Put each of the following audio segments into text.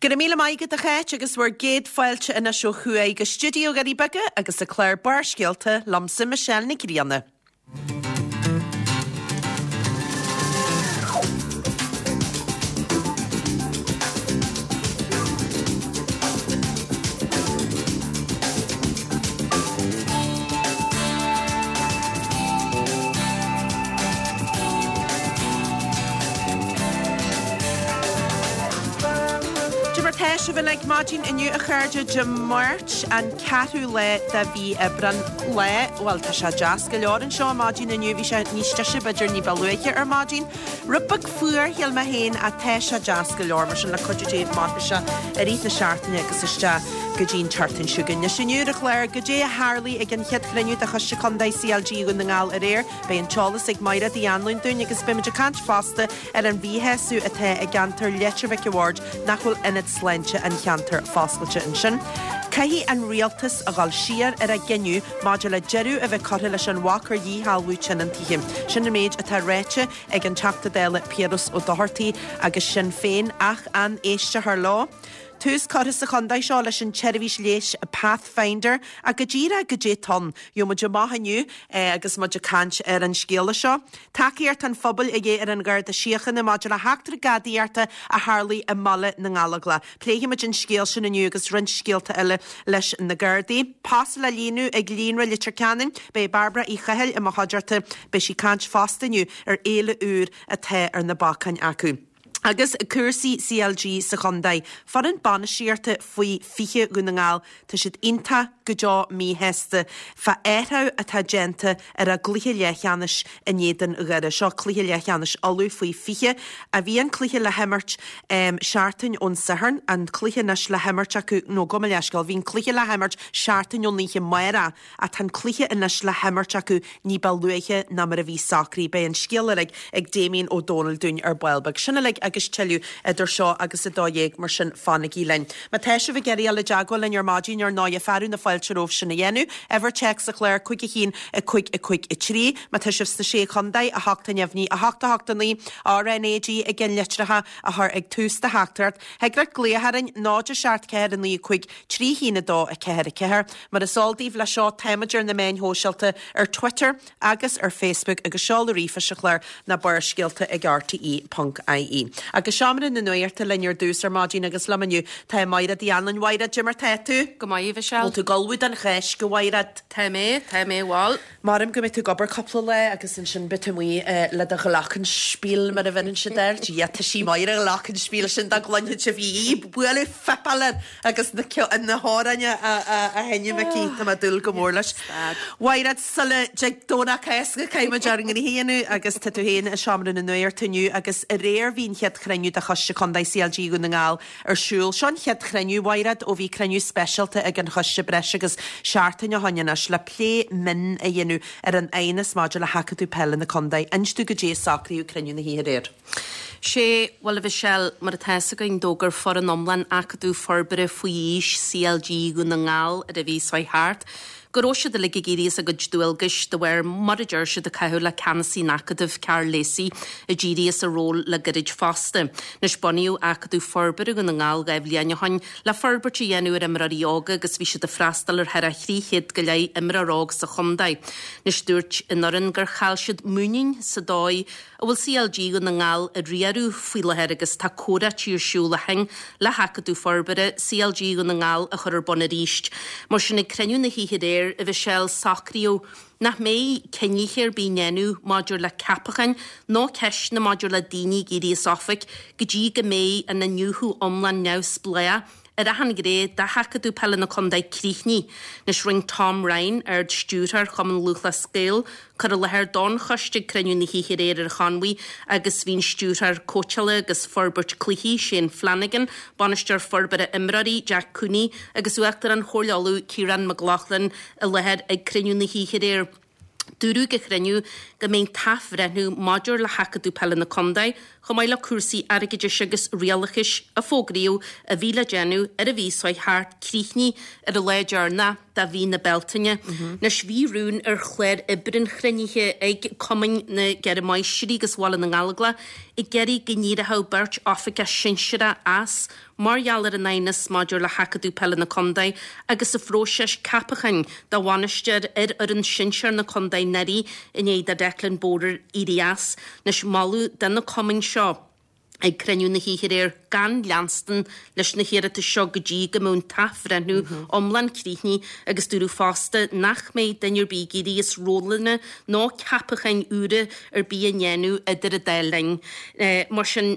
Go raibh míle maith agat a Cháit agus bhur gcéad fáilte anois ó thuaidh go stiúideo Dhoirí Beaga agus an clár Barrscéalta liomsa Michelle Nic Grianna. Cad é mar tá sibh uilig maidin inniu a chairde Dé Máirt an ceathrú lá de mhí Aibreán lá bhuel tá sé deas go leor anseo maidin inniu bhí sé níos deise b'fhéidir ní ba luaithe ar maidin Rud beag fuar shíl mé féin ach tá sé deas go leor mar sin le cuidiú Dé mairfidh sé i rith na seachtaine agus isteach go dtí an tseachtain seo chugainn. Anois inniu ar an chlár, goidé a tharlaigh ag an chéad chruinniú de Choiste Contae CLG Dhún na nGall aréir. Beidh an t-eolas ag Mairéad Uí Anluain dúinn agus beimid ag caint fosta ar an mhíshásamh atá i gceantar Leitir Mhic a' Bhaird nach bhfuil ionad sláinte an cheantair foscailte ansin. Caithfidh an rialtas a dhul siar ar a gcinneadh maidir le deireadh a bheith curtha leis an bhac ar dhíshealbhú tionóntaithe. Sin an méid atá ráite ag an Teachta Dála Piaras Ó Dochartaigh agus Sinn Féin, ach an éistfear leo? Tús curtha sa chontae seo leis an tseirbhís leighis Pathfinder ach go díreach goidé tá ann? Gheobhaidh muid amach inniu agus muid ag caint ar an scéala seo. Tacaíocht an phobail a dhíth ar an Gharda Síochána maidir le heachtra gadaíochta a tharlaigh i mBaile na nGallóglach. Pléifimid an scéal sin inniu agus roinnt scéalta eile leis na Gardaí. Post le líonadh ag Líonra Leitir Ceanainn. Beidh Bairbre Uí Chathail i mo chuideachta. Beidh sí ag caint fosta inniu ar fhéile úr atá ar na bacáin acu. Agus cúrsaí CLG sa chontae. Foireann bainistíochta faoi 20 Dhún na nGall Tá siad iontach go deo míshásta fá athrú atá déanta ar a gcluiche leathcheannais in éadan Dhoire. Seo cluiche leathcheannais Uladh faoi 20. A bhí an cluiche le himirt seachtain ón Satharn, an cluiche anois le himirt acu, nó gabh mo leithscéal, bhí an cluiche le himirt seachtain ón oíche amárach ach tá an cluiche anois le himirt acu ní ba luaithe ná mar a bhí socraithe. Beidh an scéal uilig ag Damien Ó Dónaill dúinn ar ball beag. Sin uilig agus tuilleadh idir seo agus 12:00, mar sin fanaigí linn. Má tá sibh ag iarraidh dul i dteagmháil linn ar maidin, ar ndóighe, fearadh na fáilte romhaibh sin a dhéanamh. Uimhir téacs an chláir, 5 1 5 5 3. Má tá sibh sna Sé Chontae, 8 neamhní, 8 8 9, RNAG i gceannlitreacha a chur ag tús do theachtaireacht. Thig leat glaoch orainn, 0 7 4 9 5 3 1 2 4 4. Mar is eol daoibh leis seo, táimid ar na meáin shóisialta, ar Twitter agus ar Facebook agus seoladh ríomhphoist an chláir ná barrscéalta ag rte ponc ie. Agus seomra na nuachta linn ar dtús ar maidin agus liom inniu tá Máire Uí Anluain. Mháire, cad é mar tá tú? Go maith, a Mhichelle. Bhfuil tú ag ullmhú don Cháisc, a Mháire? Tá mé, tá mé, bhuel. Maram go mbeidh tú ag obair cúpla lá agus ansin beidh tú amuigh le do ghlockenspiel mar a bheireann siad air. Dia, tá sí maith ar an ghlockenspiel sin dá gcluinfeadh sibh í ag bualadh fuipeála agus na na hamhráin á sheinm aici. Tá mé ag dúil go mór leis. Mhaighread, sula dtig Domhnach Cásca caithfidh muid ár ngnoithe a dhéanamh agus tá tú féin i seomra na nuachta inniu agus aréir bhí an chéad chruinniú de Choiste Contae CLG Dhún na nGall ar siúl. Seo an chéad chruinniú, a Mhaighread, ó bhí cruinniú speisialta ag an choiste breis agus seachtain ó shoin anois le plé mion a dhéanamh ar an aighneas maidir le hAcadamh Peile na Contae. Inis dúinn goidé a socraíodh ag cruinniú na hoíche aréir. Sé, bhuel a Mhichelle, mar atá fhios againn, d'fhógair foireann iomlán Acadamh Forbartha Faoi Aois CLG Dhún na nGall ar an mhí seo thart go raibh siad uilig ag éirí as a gcuid dualgais de bharr, mar a deir siad, ag caitheamh le ceannasaí an Acadaimh, Karl Lacey, a d'éirigh as a ról le gairid fosta. Anois, bunaíodh Acadamh Forbartha Dhún na nGall 2 bhliain ó shoin le forbairt a dhéanamh ar imreoirí óga agus bhí siad ag freastal ar thar 300 go leith imreoir óg sa chontae. Anois, dúirt an fhoireann gur chaill siad muinín sa dóigh a bhfuil CLG Dhún na nGall á riaradh faoi láthair agus tá comhráití ar siúl ó shin le hAcadamh Forbartha CLG Dhún na nGall a chur ar bun arís. Mar sin, ag cruinniú na hoíche aréir, a Mhichelle, socraíodh nach mbeidh cinnithe ar bith á ndéanamh maidir le ceapacháin nó ceisteanna maidir le daoine ag éirí as oifig go dtí go mbeidh an iniúchadh iomlán neamhspleách ar achan ghné de Acadamh Peile na Contae críochnaithe. Anois rinne Tom Ryan, Ard-Stiúrthóir Chumann Lúthchleas Gael, cur i láthair don choiste ag cruinniú na hoíche aréir ar an Chonmhaigh agus bhí an Stiúrthóir Cóitseála agus Forbairt Cluichí, Shane Flanagan, Bainisteoir Forbartha Imreoirí, Jack Cooney agus Uachtarán Chomhairle Uladh, Ciarán McLaughlin i láthair ag cruinniú na hoíche aréir. Dúradh ag an chruinniú go mbeidh an t-athbhreithniú maidir le hAcadamh Peile na Contae, chomh maith le cúrsaí airgeadais agus rialachais a fógraíodh a bhí le déanamh ar an mhí seo thart, críochnaithe ar an lá deireanach. de mhí na Bealtaine. Anois bhí rún ar chlár oibre an chruinnithe ag Cumainn na gCeithre Máistrí agus Bhaile na nGallóglach ag iarraidh go n-éireodh beirt oifigeach sinsearach as mar gheall ar an aighneas maidir le hAcadamh Peile na Condae agus an phróiseas ceapacháin do bhainisteoir ar fhoireann sinsear na condae anuraidh i ndiaidh do Declan Border éirí as. Anois moladh do na cumainn seo ag cruinniú na hoíche aréir gan leanstan leis na hiarratais seo go dtí go mbeidh an t-athbhreithniú iomlán críochnaithe agus dúradh fosta nach mbeidh duine ar bith ag éirí as rólanna nó ceapacháin úra ar bith a ndéanamh idir an dá linn. Mar sin.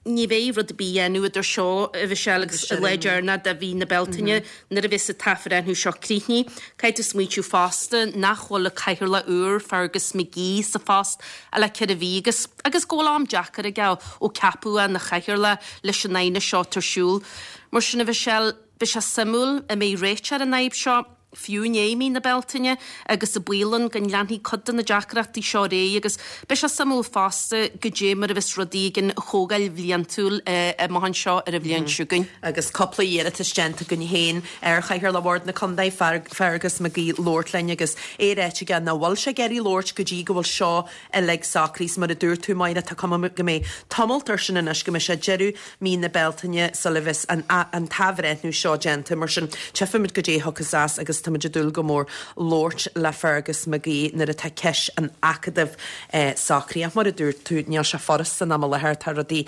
Ní bheidh rud ar bith á dhéanamh idir seo, a Mhichelle, agus an lá deireanach de mhí na Bealtaine nuair a bheas an t-athbhreithniú seo críochnaithe. Caithfidh tú smaointiú fosta nach bhfuil an cathaoirleach úr, Fergus McGee, sa phost ach le 4 mhí agus agus go bhfuil am deacair aige ó ceapadh é ina chathaoirleach leis an aighneas seo atá ar siúl. Mar sin, a Mhichelle, beidh sé suimiúil an mbeidh réiteach ar an fhadhb seo. fiú i ndiaidh mí na Bealtaine, agus an baol ann go leanfaidh cuid de na deacrachtaí seo ar aghaidh agus beidh sé suimiúil fosta goidé mar a bheas rudaí ag an Chomhdháil Bhliantúil amach anseo ar an bhliain seo chugainn. Agus cúpla iarratas déanta againn féin ar Chathaoirleach Bhord na Condae, Fergus McGee, labhairt linn agus é ráite aige nach bhfuil sé ag iarraidh labhairt go dtí go bhfuil seo uilig socraithe. Is mar a dúirt tú, Máire, tá cuma go mbeidh tamalt air sin anois, go mbeidh sé deireadh mí na Bealtaine sula bheas an an t-athbhreithniú seo déanta. Mar sin, tchífimid goidé a thiocfas as agus táimid ag dúil go mór labhairt le Fergus McGee nuair atá ceist an Acadaimh socraithe. Ach mar a dúirt tú, níl sé furasta san am i láthair, tá rudaí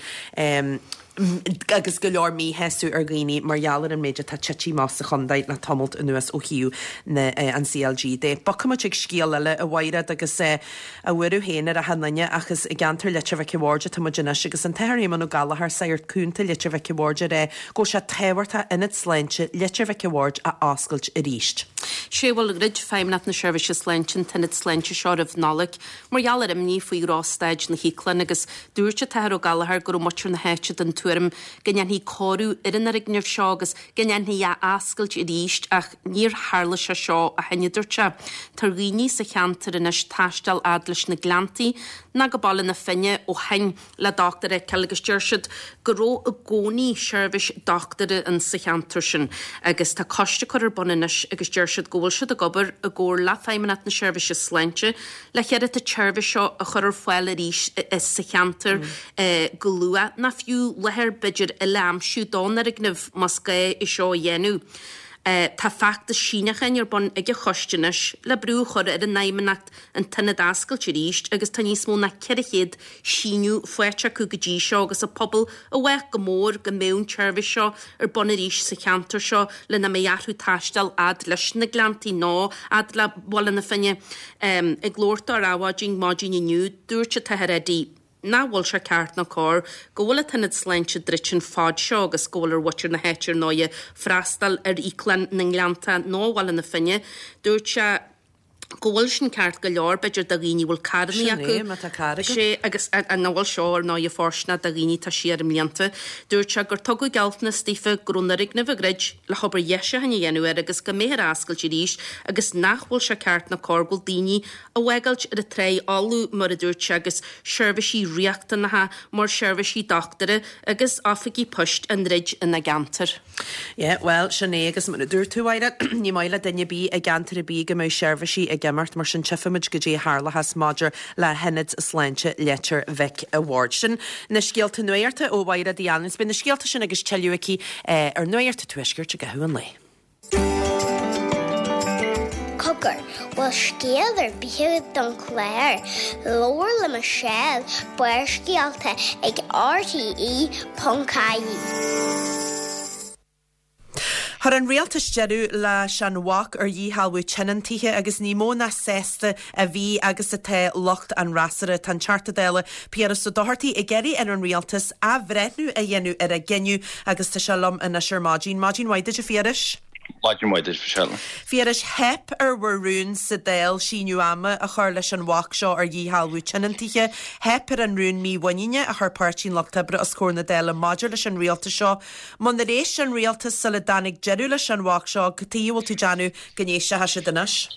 agus go leor míshásamh ar dhaoine mar gheall ar an méid atá tite amach sa chontae le tamalt anuas ó thaobh na an CLG de. Bogfaimid chuig scéal eile, a Mhaighread, agus a bhuaireamh féin ar achan nduine ach is i gceantar Leitir Mhic a' Bhaird atá muid anois agus an tAthair Éamonn Ó Gallchóir, Sagart Cúnta Leitir Mhic a' Bhaird ag rá go bhfuil sé tábhachtach Ionad Sláinte Leitir Mhic a' Bhaird a oscailt arís. Sé bhuel dhruid Feidhmeannacht na Seirbhíse Sláinte an t-ionad sláinte seo roimh Nollaig mar gheall ar imní faoi dhrochstaid na híoclainne agus dúirt an tAthair Ó Gallchóir go raibh muintir na háite den tuairim go ndéanfaí cóiriú ar an fhoirgneamh seo agus go ndéanfaí é a oscailt arís ach Níor tharla sé seo ó shin, a dúirt sé. Tá ar dhaoine sa cheantar anois taisteal fhad leis na Gleanntaí ná go Baile na Finne ó shin le dochtúir a fheiceáil agus deir siad go raibh i gcónaí seirbhís dochtúra ann sa cheantar sin agus tá coiste curtha ar bun anois agus deir siad go bhfuil siad ag obair i gcomhar le Feidhmeannacht na Seirbhíse Sláinte le hiarracht an tseirbhís seo a chur ar fáil arís sa cheantar go luath ná fiú láthair b'fhéidir eile a aimsiú don fhoirgneamh más gá é seo a dhéanamh. Tá feachtas síneacháin ar bun ag an choiste anois le brú a chur ar an Fheidhmeannacht an t-ionad a oscailt arís agus tá níos mó ná 400 síniú faighte acu go dtí seo agus an pobal i bhfách go mór go mbeadh an tseirbhís seo ar bun arís sa cheantar seo le nach mbeidh orthu taisteal fhad leis na Gleanntaí nó fhad le Baile na Finne. Ag labhairt dó ar Adhmhaidin maidin inniu, dúirt an tAthair Eddie. nach bhfuil sé ceart ná cóir go bhfuil an t-ionad sláinte druidte an fad seo agus go bhfuil ar mhuintir na háite ar ndóighe freastal ar íoclann na nGleanntach nó Bhaile na Finne. Dúirt sé go bhfuil sin ceart go leor b'fhéidir do dhaoine a bhfuil carrannaí Sin acu. é, má tá carr agat. Sé agus nach bhfuil seo ar ndóighe fóirsteanach do dhaoine atá siar i mblianta. Dúirt sé gur tugadh gealltanas daofa go raibh an fhoirgneamh á dhruid le hobair dheisiúcháin a dhéanamh air agus go mbeifear á oscailt arís agus nach bhfuil sé ceart ná cóir go bhfuil daoine á bhfágáilt ar an tráigh fholamh, mar a dúirt sé, agus seirbhísí riachtanacha mar sheirbhísí dochtúra agus oifigí poist á ndruid ina gceantar. Yeah, bhuel, sin é, agus mar a dúirt tú, a Mháire, ní maith le duine ar bith i gceantar ar bith go mbeadh seirbhísí ag imeacht, mar sin tchífimid goidé a tharlóchas maidir le hIonad Sláinte Leitir Mhic a' Bhaird. Sin na scéalta nuachta ó Mháire Uí Annaidh. Beidh na scéalta sin agus tuilleadh aici ar Nuacht an Tuaiscirt i gcaitheamh an lae. Cogar, bhfuil scéal ar bith agat don chlár? Labhair le Michelle, Barrscéalta ag RTE.ie. Chuir an rialtas deireadh leis an bhac ar dhíshealbhú tionóntaithe agus ní mó ná sásta a bhí agus atá lucht an fhreasúra. Tá an Teachta Dála Piaras Ó Dochartaigh ag iarraidh ar an rialtas athbhreithniú a dhéanamh ar a gcinneadh agus tá sé liom anois ar maidin. Maidin mhaith duit a Phiarais. Maidin mhaith duit Michelle. Phiarais, theip ar bhur rún sa Dáil síneadh ama a chur leis an bhac seo ar dhíshealbhú tionóntaithe. Theip ar an rún mímhuiníne a chuir Páirtí an Lucht Oibre os comhair na Dála maidir leis an rialtas seo. Munar éist an rialtas sula dtáinig deireadh leis an bhac seo, cad chuige a bhfuil tú ag déanamh go n-éistfidh siad anois?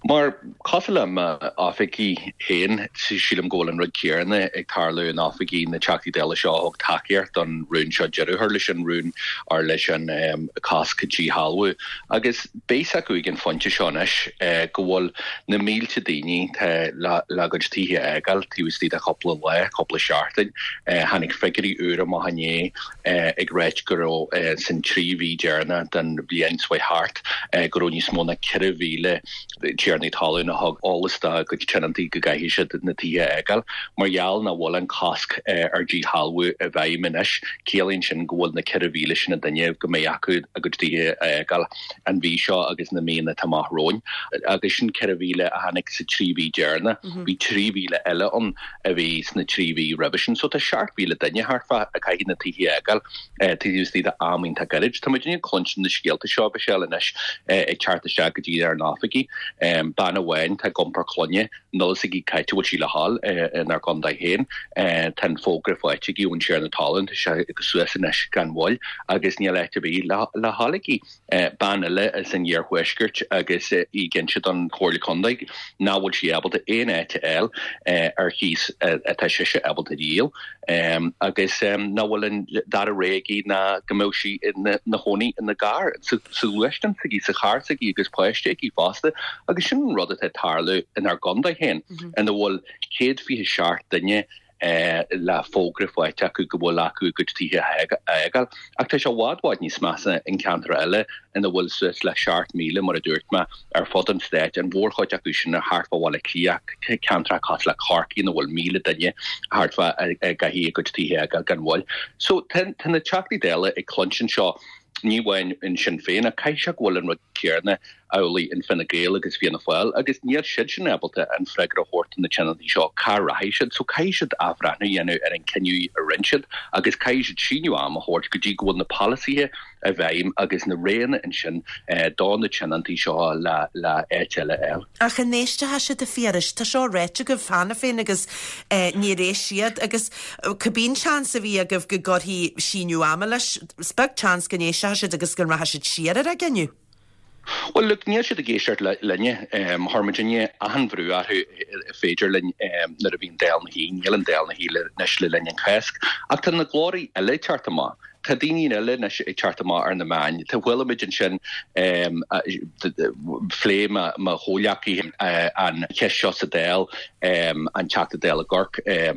Mar, cosúil le m'oifigí féin, sílim go bhfuil an rud céanna ag tarlú in oifigí na dTeachtaí Dála seo a thug tacaíocht don rún seo deireadh a chur leis an rún or leis an cosc díshealbhú. Agus beidh a fhios acu ag an phointe seo anois go bhfuil na mílte daoine tá le a gcuid tithe a fhágáil taobh istigh de chúpla lá, cúpla seachtain. Tháinig figiúirí úra amach inné ag ráit go raibh san 3 mhí deireanach den bhliain seo thart go raibh níos mó ná 4,000 tiarnaí talún a thug eolas dá gcuid tionóntaí go gcaithfidh siad na tithe a fhágáil. Mar gheall nach bhfuil an cosc ar díshealbhú i bhfeidhm anois, ciallaíonn sin go bhfuil na 4,000 sin duine go mbeidh acu a gcuid tithe a fhágáil an mhí seo agus na míonna atá amach romhainn. Agus sin 4,000 a tháinig sa 3 mhí deireanach. Bhí 3,000 eile ann a bhí sna 3 mhí roimhe sin. So tá 7,000 duine thart fá a caithfidh na tithe a fhágáil taobh istigh de am iontach gairid. Tá muidinne ag cluinstin na scéalta seo, Michelle, anois ag teacht isteach go dtí ár n-oifigí. Bean amháin tá ag iompar clainne, níl a fhios aici cá háit a bhfuil sí le dhul inár gcontae féin. Tá an fógra faighte aici ón tiarna talún, tá sé suas anois gan mhoill agus níl áit ar bith le dhul aici. Bean eile as an iarthuaisceart agus í ag inse don Chomhairle Contae nach bhfuil sí ábalta aon áit a fháil ar chíos atá sise ábalta a dhíol agus nach bhfuil an dara rogha aici ná go mbeadh sí ina chónaí ina gcarr, sa ghluaisteán s'aici, sa charr s'aici agus páiste aici fosta. Agus sin an rud atá ag tarlú inár gcontae féin ina bhfuil 127 duine le fógra faighte acu go bhfuil acu a gcuid tithe a fhágáil. Ach tá sé i bhfad bhfad níos measa in ceantair eile ina bhfuil suas le 7,000, mar a dúirt mé, ar fud an stáit, an mhórchuid acu sin thart fá Bhaile Átha Cliath, ceantracha cosúil le Corcaigh ina bhfuil 1,000 duine thart fá a gcaithfidh a gcuid tithe a fhágáil gan mhoill. So tá na Teachtaí Dála ag cluinstin seo ní amháin in Sinn Féin ach caithfidh sé go bhfuil an rud céanna amhlaidh in Fine Gael agus Fianna Fáil agus níl siad sin ábalta an freagra a thabhairt do na tionóntaí seo cá rachaidh siad. So caithfidh siad athbhreithniú a dhéanamh ar an cinneadh a rinne siad agus caithfidh siad síneadh ama a thabhairt go dtí go bhfuil na polasaithe i bhfeidhm agus na roghanna ansin do na tionóntaí seo le le áit eile a fháil. Ach an éistfidh siad a Phiarais? Tá seo ráite agaibh cheana féin agus níor éist siad agus cibé an seans a bhí agaibh go gcuirfí síneadh ama leis, is beag seans go n-éistfidh siad agus go rachaidh siad siar ar a gcinneadh. Bhuel, look, níl siad ag éisteacht linne. Chuir muidinne achan bhrú orthu is féidir linn nuair a bhí an Dáil ina shuí. Níl an Dáil ina shuí anois le linn an Cháisc. Ach tá na glórthaí eile ag teacht amach. Tá daoine eile anois ag teacht amach ar na meáin. Tá chuala muid ansin, phléigh mo chomhghleacaithe an cheist seo sa Dáil, an Teachta Dála i gCorcaigh,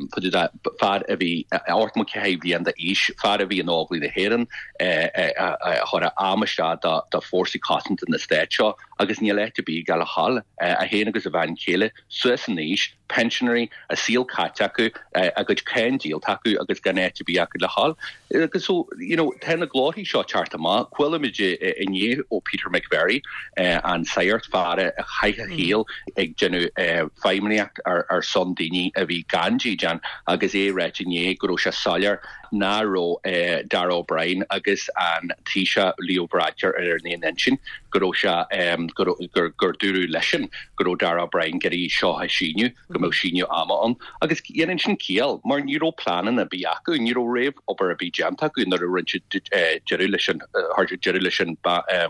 fear a bhí 84 bliain d'aois, fear a bhí in Óglaigh na hÉireann, a chuir a am isteach do fórsaí cosanta na Stáit seo agus níl áit ar bith aige le dhul, é féin agus a bhean chéile, suas in aois, pensionairí, a saol caite acu, a gcuid cáin díolta acu agus gan áit ar bith acu le dhul. Agus so, you know, tá na glórthaí seo ag teacht amach. Chuala muid inné ó Peter McVerry, an sagart, fear a chaith a shaol ag déanamh feidhmeannaíocht ar son daoine a bhí gan dídean agus é ag ráit inné go raibh sé soiléir nach raibh Darragh O'Brien agus an Taoiseach Leo Varadkar ar an aon intinn, go raibh sé, gur, gur dúradh leisean go raibh Darragh O'Brien ag iarraidh seo a shíneadh, go mbeadh síneadh ama ann. Agus dhéanann sin ciall, mar ní raibh pleananna ar bith acu, ní raibh réamh-obair ar bith déanta acu nuair a rinne siad deireadh leis an, chuir siad deireadh leis an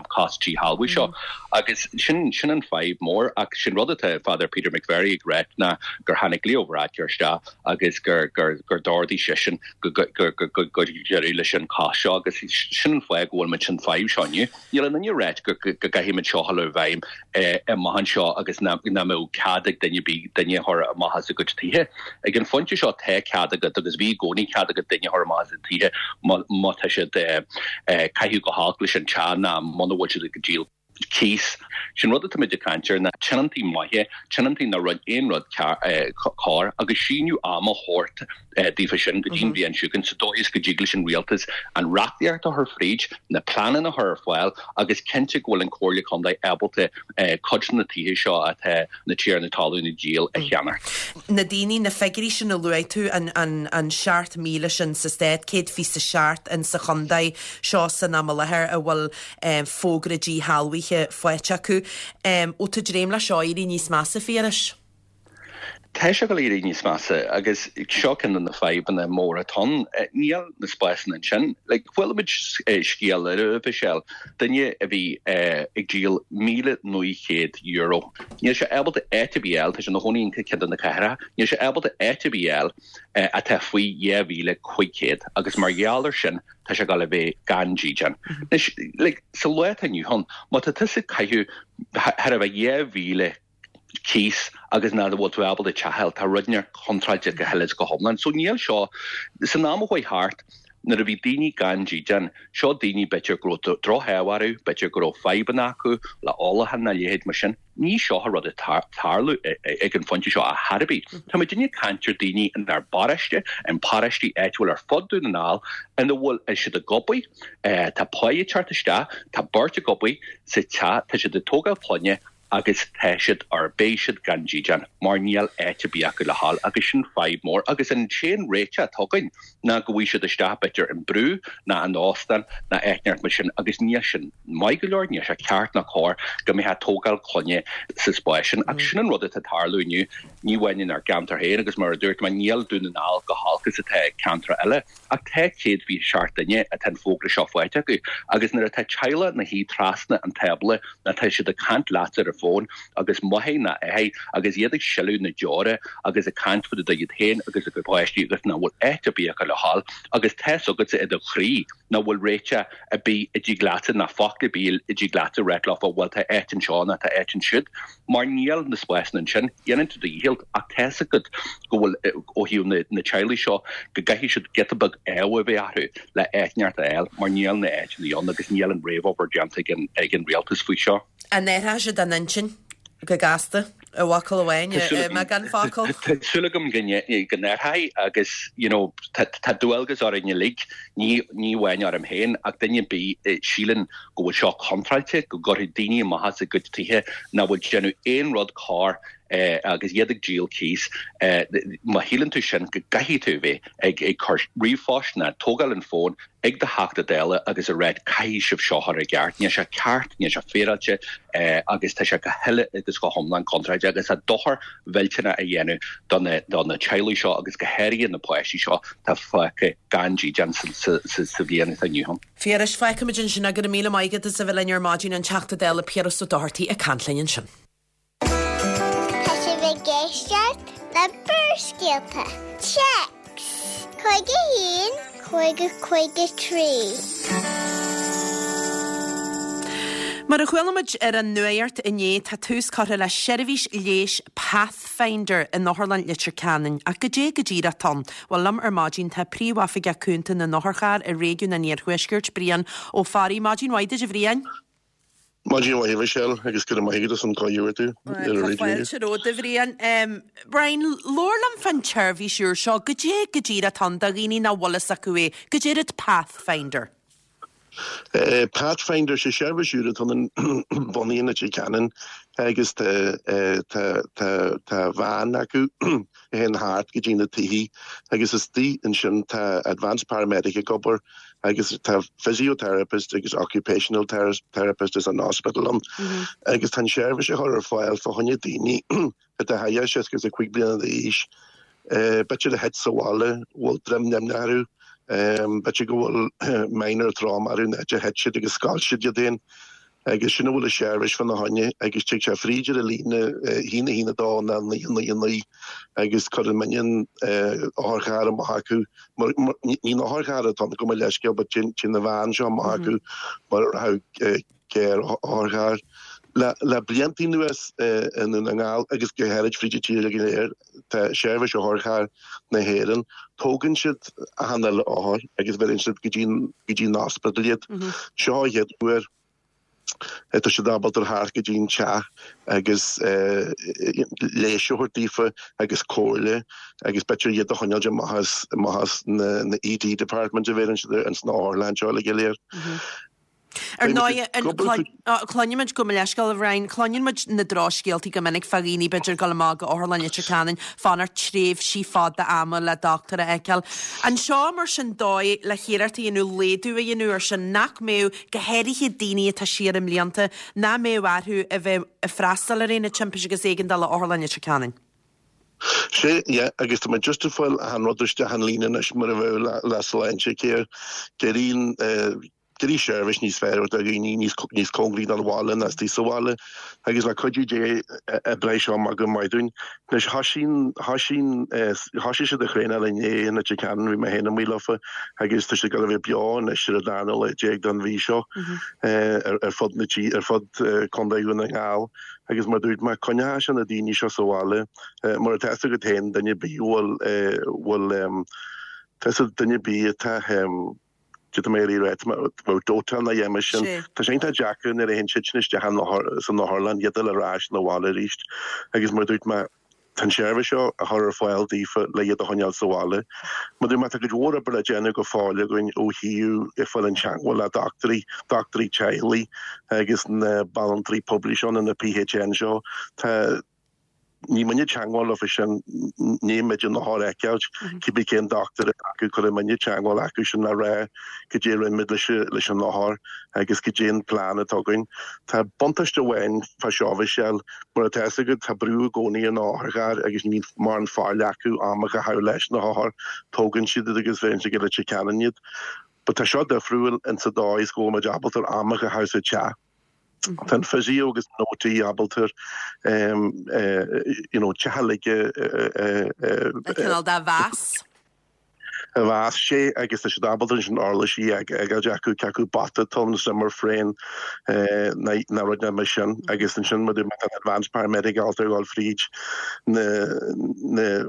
cosc díshealbhú seo. Agus sin, sin an fadhb mór. Ach sin rud atá Father Peter McVerry ag ráit ná gur tháinig Leo Varadkar isteach agus gur d'ordaigh seisean go gcuirfí deireadh leis an chosc seo agus sin an fáth go bhfuil muid san fadhb seo inniu. Níl aon duine ag ráit go gcaithfidh muid seo a chur i bhfeidhm amach anseo agus nach mbeadh cead ag duine ar bith duine a chur amach as a gcuid tithe. Ag an phointe seo tá cead agat agus bhí i gcónaí cead agat duine a chur amach as a dtithe má tá siad ag caitheamh go holc leis an teach ná muna bhfuil siad ag díol cíos. Sin rud atá muid ag caint air ná tionóntaí maithe, tionóntaí nach rinne aon rud cearr agus síneadh ama a thabhairt daofa sin go dtí an bhliain seo chugainn sa dóigh is go dtig leis an rialtas an reachtaíocht a chur fríd, na pleananna a chur ar fáil agus cinnte go bhfuil an Comhairle Contae ábalta cuid de na tithe seo atá na tiarnaí talún ag díol a cheannach. Na daoine, na figiúirí sin a luaigh tú, an 7,000 sin sa stát, 127 in sa chontae seo san am i láthair a bhfuil fógra díshealbhaithe faighte acu. Bhfuil tú ag dréim le seo éirí níos measa, a Phiarais? Tá sé ag dul a éirí níos measa agus seo ceann de na fadhbanna móra atá ann. Níl na spásanna ansin. Like, chuala muid scéal eile, a Mhichelle, duine a bhí ag díol €1,900. Níl sé ábalta áit ar bith a fháil, tá sé ina chónaí in ceann de na cathracha, níl sé ábalta áit ar bith a fháil atá faoi 2,500 agus mar gheall ar sin tá sé ag dul a bheith gan dídean. Anois, like, sa lá atá inniu ann, má tá tusa ag caitheamh thar a bheith 2,000 cíos agus nach bhfuil tú ábalta teach a fháil, tá rud inteacht contráilte go huile is go hiomlán. So níl seo, san am a chuaigh thart, nuair a bhí daoine gan dídean, seo daoine b'fhéidir go raibh droch-ádh orthu, b'fhéidir go raibh fadhbanna acu le ólachán nó a leithéid mar sin, ní seo an rud atá ag tarlú ag an phointe seo ar chor ar bith. Tá muid ag caint ar daoine inár bparóiste, in paróistí áitiúil ar fud Dún na nGall ina bhfuil siad ag obair, tá pá ag teacht isteach, tá beirt ag obair sa teach, tá siad ag tógáil clainne, agus tá siad or beidh siad gan dídean mar níl áit ar bith acu le dhul agus sin fadhb mór agus an t-aon réiteach atá againn ná go bhfaighidh siad isteach b'fhéidir in brú ná in óstán ná áit inteacht mar sin agus níl sin maith go leor, níl sé ceart ná cóir go mbeifeá ag tógáil clainne sa spás sin ach sin an rud atá ag tarlú inniu, ní amháin inár gceantar féin agus mar a dúirt mé níl Dún na nGall chomh holc is atá ceantracha eile. Ach tá 127 duine atá an fógra seo faighte acu agus nuair atá teaghlach ina shuí trasna an tábla ná tá siad ag caint leatsa ar an bhfón agus máthair ná athair agus iad ag sileadh na deora agus ag caint fá dtaobh iad féin agus a gcuid páistí agus nach bhfuil áit ar bith acu le dhul agus tá's agatsa i do chroí nach bhfuil réiteach ar bith a dtig leatsa ná focal ar bith a dtig leatsa ráit leofa bhuel tá áit anseo ná tá áit ansiúd mar níl na spásanna ansin. Déanann tú do dhícheall ach tá's agat go bhfuil, ó thaobh na teaghlaigh seo, go gcaithfidh siad giota beag ádh a bheith orthu le áit inteacht a fháil mar níl na áiteanna ann agus níl an réamhobair déanta ag an rialtas faoi seo. An athróidh siad a n-intinn go gasta, i bhfocal amháin, i mbeagán focal? Tá súil agam go n-athróidh agus you know tá dualgas orainn uilig, ní amháin orm féin ach duine ar bith a síleann go bhfuil seo contráilte, go gcuirfidh daoine amach as a gcuid tithe nach bhfuil ag déanamh aon rud cóir agus iad ag díol cíos. Má shíleann tú sin, go gcaithfidh tú a bheith ag cur ríomhphoist ná tógáil an fón ag do Theachta Dála agus a ráit caithfidh sibh seo a chur i gceart. Níl sé ceart, níl sé féaráilte agus tá sé go huile agus go hiomlán contráilte agus tá dochar mhillteanach á dhéanamh do na teaghlaigh seo agus go háirithe na páistí seo atá fágtha gan dídean sa bhliain atá inniu ann. Phiarais, fágfaimid ansin é, go raibh míle maith agat as a bheith linn ar maidin, an Teachta Dála Piaras Ó Dochartaigh ag caint linn ansin. Tá sibh ag éisteacht le Barrscéalta. Téacs 51 50 53. Mar a chuala muid ar an nuacht inné, tá tús curtha le seirbhís leighis Pathfinder in Otharlann Leitir Ceanainn. Ach goidé go díreach atá ann? Bhuel, liom ar maidin tá Príomhoifigeach Cúnta na nOtharcharr i réigiún an Iarthuaiscirt, Brian Ó Fearraigh. Maidin mhaith duit, a Bhriain. Maidin mhaith, a Mhichelle, agus go raibh maith agat as an gcuireadh a thabhairt ar an raidió. Tá fáilte romhat, a Bhriain. Brian, labhair liom fán tseirbhís úr seo. Goidé go díreach atá ann do dhaoine nach bhfuil fhios acu é? Goidé rud Pathfinder? Pathfinder, sé seirbhís úr atá bunaithe in Leitir Ceanainn agus tá tá tá tá veain acu a théann thart go dtí na tithe agus istigh ansin tá advanced paramedic ag obair agus tá physiotherapist agus occupational therapist as an hospital ann agus tá an seirbhís á chur ar fáil fá choinne daoine atá thar 65 bliana d'aois, b'fhéidir a thit sa bhaile, bhfuil droim nimhneach orthu, b'fhéidir go bhfuil minor trauma orthu, an áit a thit siad agus scoilt siad iad féin. Agus sin a bhfuil an seirbhís fána choinne agus tig sé fríd ar an líne 1 1 2 nó 9 9 9 agus cuireann muidne an otharcharr amach acu. Ní an otharcharr atá ann gabh mo leithscéal but téann an veain seo amach acu mar a rachadh géar otharcharr. Le blianta anuas i nDún na nGall agus go háirid fríd an tír go léir tá Seirbhís Otharcharr na hÉireann. Tógann siad achan uile othar agus bheireann siad go dtí go dtí an ospidéal iad. Seo an chéad uair atá siad ábalta theacht go dtí an teach agus leigheas a thabhairt daofa agus comhairle agus b'fhéidir iad a choinneáil amach as amach as na ED department a bheireann siad ins na otharlanna anseo uilig go léir. Ar ndóigh, cluinimid, gabh mo leithscéal a Bhriain, cluineann muid na drochscéaltaí go minic fá dhaoine b'fhéidir ag dul amach go Otharlann Leitir Ceanainn, fanacht tréimhsí fada ama le dochtúir a fheiceáil. An seo mar sin dóigh le hiarracht a dhéanamh laghdú a dhéanamh air sin, nach mbeadh, go háirithe daoine atá siar i mblianta, nach mbeadh orthu a bheith ag freastal ar aonad timpiste agus éigeandála Otharlann Leitir Ceanainn? Sea, yeah, agus tá muid just ag fáil achan rud isteach an líne anois mar a bheadh le, le Sláintecare. D'éirigh, d'éirigh seirbhís níos fearr do dhaoine níos, níos cóngaraí don bhaile ná istigh sa bhaile agus le cuidiú Dé oibreoidh seo amach go maith dúinn. Anois thoisigh, thoisigh, thoisigh siad ag traenáil inné in Leitir Ceanainn, bhí mé féin amuigh leofa agus tá siad ag dul a bheith beo anois ar an darna lá déag den mhí seo ar, ar fud na tí, ar fud Contae Dhún na nGall. Agus mar a dúirt mé, coinneoidh sé na daoine seo sa bhaile, mar atá fhios agat féin, duine ar bith a bhfuil, bhfuil, tá fhios ag duine ar bith atá, cad tá mé ag iarraidh a rá, tá dóiteán a dhéanamh sin. Tá sé iontach deacair nuair a théann siad sin isteach san otharlann, iad a fháil ar ais 'na bhaile arís. Agus mar a dúirt mé, Tá an tseirbhís seo á chur ar fáil daofa le iad a choinneáil sa bhaile. Mar a dúirt mé, tá cuid mhór oibre le déanamh go fóill againn ó thaobh ag fáil in teagmháil le dochtúirí, dochtúirí teaghlaigh agus na banaltraí poiblí seo nó na PHN seo. Tá, níl muidne i dteagmháil leofa sin, níl muid an othar a fheiceáilt, cibé cén dochtúir atá acu, cuirfidh muidne teagmháil acu sin le rá cad é a rinne muid leis an othar agus cad é an plean atá againn. Tá buntáiste amháin fá seo, Michelle, Mar atá fhios agat, tá brú i gcónaí ar na hotharchairr agus ní bhíonn mórán faill acu am a chaitheamh leis na hothair. Tógann siad iad agus bheireann siad go Leitir Ceanainn iad. But tá seo difriúil in sa dóigh is go bhfuil muid ábalta am a chaitheamh sa teach. Tá an physio agus an OT ábalta you know teach uilig a Cineál de mheas. a mheas sé agus tá siad ábalta ansin uirlisí a fhágáilt acu, cé acu bata tonn, Zimmer frame ná rud mar sin agus ansin má tá an advanced paramedic ábalta a dhul fríd na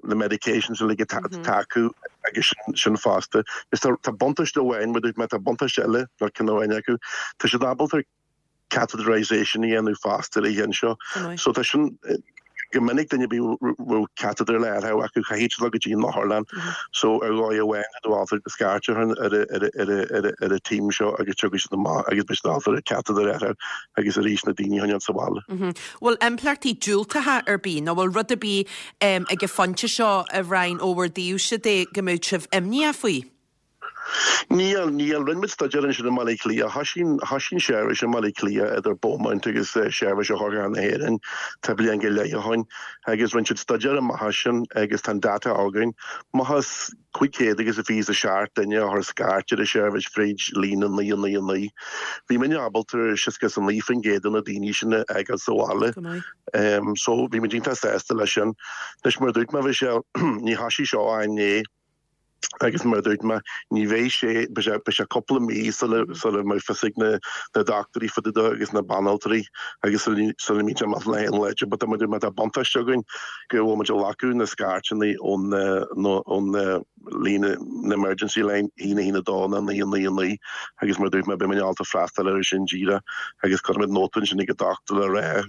na medications uilig atá acu agus sin fosta. Tá buntáiste amháin, má tá buntáiste eile nó ceann amháin acu, tá siad ábalta catheterization a dhéanamh fosta ar an cheann seo. So tá sin go minic duine ar bith a bhfuil catheter le athrú acu caithfidh siad dul go dtí an otharlann. So ar dhóigh amháin tá tú ábalta scairt a chur ar an team seo agus tiocfaidh siad amach agus beidh siad ábalta an catheter a athrú agus arís na daoine a choinneáil sa bhaile. Bhfuil impleachtaí diúltacha ar bith nó bhfuil rud ar bith ag an phointe seo a Bhriain ó bhur dtaobhse de go mbeadh sibh imníoch faoi? Níl, níl. Rinne muid staidéar ansin i mBaile Átha Cliath. Thoisigh, thoisigh an seirbhís i mBaile Átha Cliath idir Beaumont agus Seirbhís Otharcharr na hÉireann tá bliain go leith ó shoin agus rinne siad staidéar amach as sin agus tá an data againn. Amach as 527 duine a chuir scairt ar an seirbhís fríd líne 999. Bhí muidne ábalta 69% de na daoine sin a fhágáil sa bhaile. Go maith. So bhí muid iontach sásta leis sin. Anois mar a dúirt mé, Michelle, ní thoisigh seo ach inné. Agus mar a dúirt mé, ní bheidh sé, beidh sé, beidh sé cúpla mí sula, sula mbeidh fios ag na, na dochtúirí fá dtaobh de agus na banaltraí agus sula, sula mbíonn sé amach le haon leide. But mar a dúirt mé, tá buntáiste againn go bhfuil muid ag glacadh na scairteanna ón, ón líne, na emergency line, 1 1 2 nó 9 9 9 agus mar a dúirt mé, beidh muid ábalta freastal air sin díreach agus cuirfidh muid nóta ansin ag an dochtúir le rá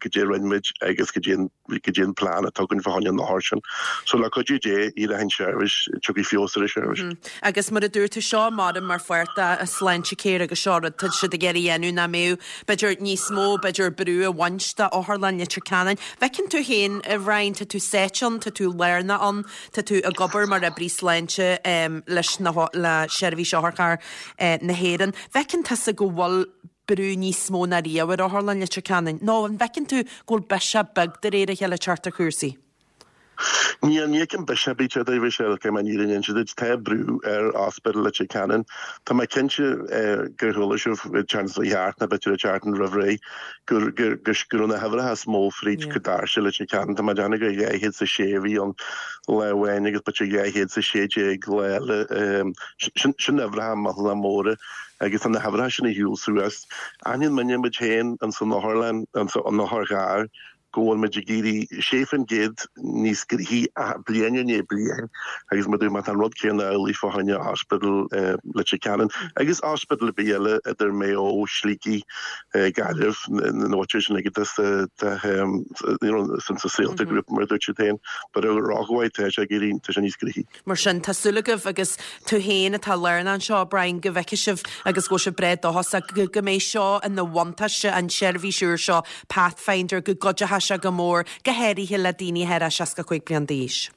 cad é a rinne muid agus cad é an cad é an plean atá againn fá choinne an othair sin. So le cuidiú Dé, éireoidh an tseirbhís, tiocfaidh feabhas ar an tseirbhís. Agus mar a dúirt tú, seo mar mar pháirt de Sláintecare agus seo rud tá siad ag iarraidh a dhéanamh ná mbeadh b'fhéidir níos mó b'fhéidir brú a bhaint de Otharlann Leitir Ceanainn. Bhfeiceann tú féin, a Bhriain, tá tú sáite ann, tá tú lárnach ann, tá tú ag obair mar oibrí sláinte leis na le Seirbhís Otharcharr na hÉireann. Bhfeiceann tusa go bhfuil brú níos mó ná riamh ar Otharlann Leitir Ceanainn? Nó an bhfeiceann tú go bhfuil biseach beag de réir a chéile ag teacht ar chúrsaí? Níl, ní fheicim biseach ar bith a Mhichelle, caithfidh mé an fhírinne a inse duit. Tá brú ar Ospidéal Leitir Ceanainn. Tá mé cinnte gur chuala sibh ag teacht sa cheart nó b'fhéidir ag teacht roimh ré gur go raibh na huimhreacha is mó fríd go doirse Leitir Ceanainn. Tá mé ag déanamh gur 206 a bhí ann lá amháin agus b'fhéidir 216 lá eile. Sin uimhreacha millteanach móra. Agus tá na huimhreacha sin ag siúl suas. Aithníonn muidne muid féin ins an otharlann, ins an otharcharr, go bhfuil muid ag éirí 6% níos gnoithí bliain i ndiaidh bliain agus mar a dúirt mé, tá an rud céanna amhlaidh fá choinne Ospidéal Leitir Ceanainn agus ospidéal ar bith eile idir Maigh Eo, Shligigh, Gaillimh, na háiteanna sin uilig atá sa you know sa Saolta Group mar a dúirt siad féin. But ar dhrochuair tá sé ag éirí, tá sé níos gnoithí. Mar sin, tá súil agaibh agus tú féin atá lárnach anseo, Brian, go bhfeicfidh sibh agus go bhfuil sibh breá dóchasach go mbeidh seo ina bhuntáiste, an tseirbhís úr seo, Pathfinder, go gcuideoidh sé go mór, go háirithe le daoine thar 65 bliain d'aois.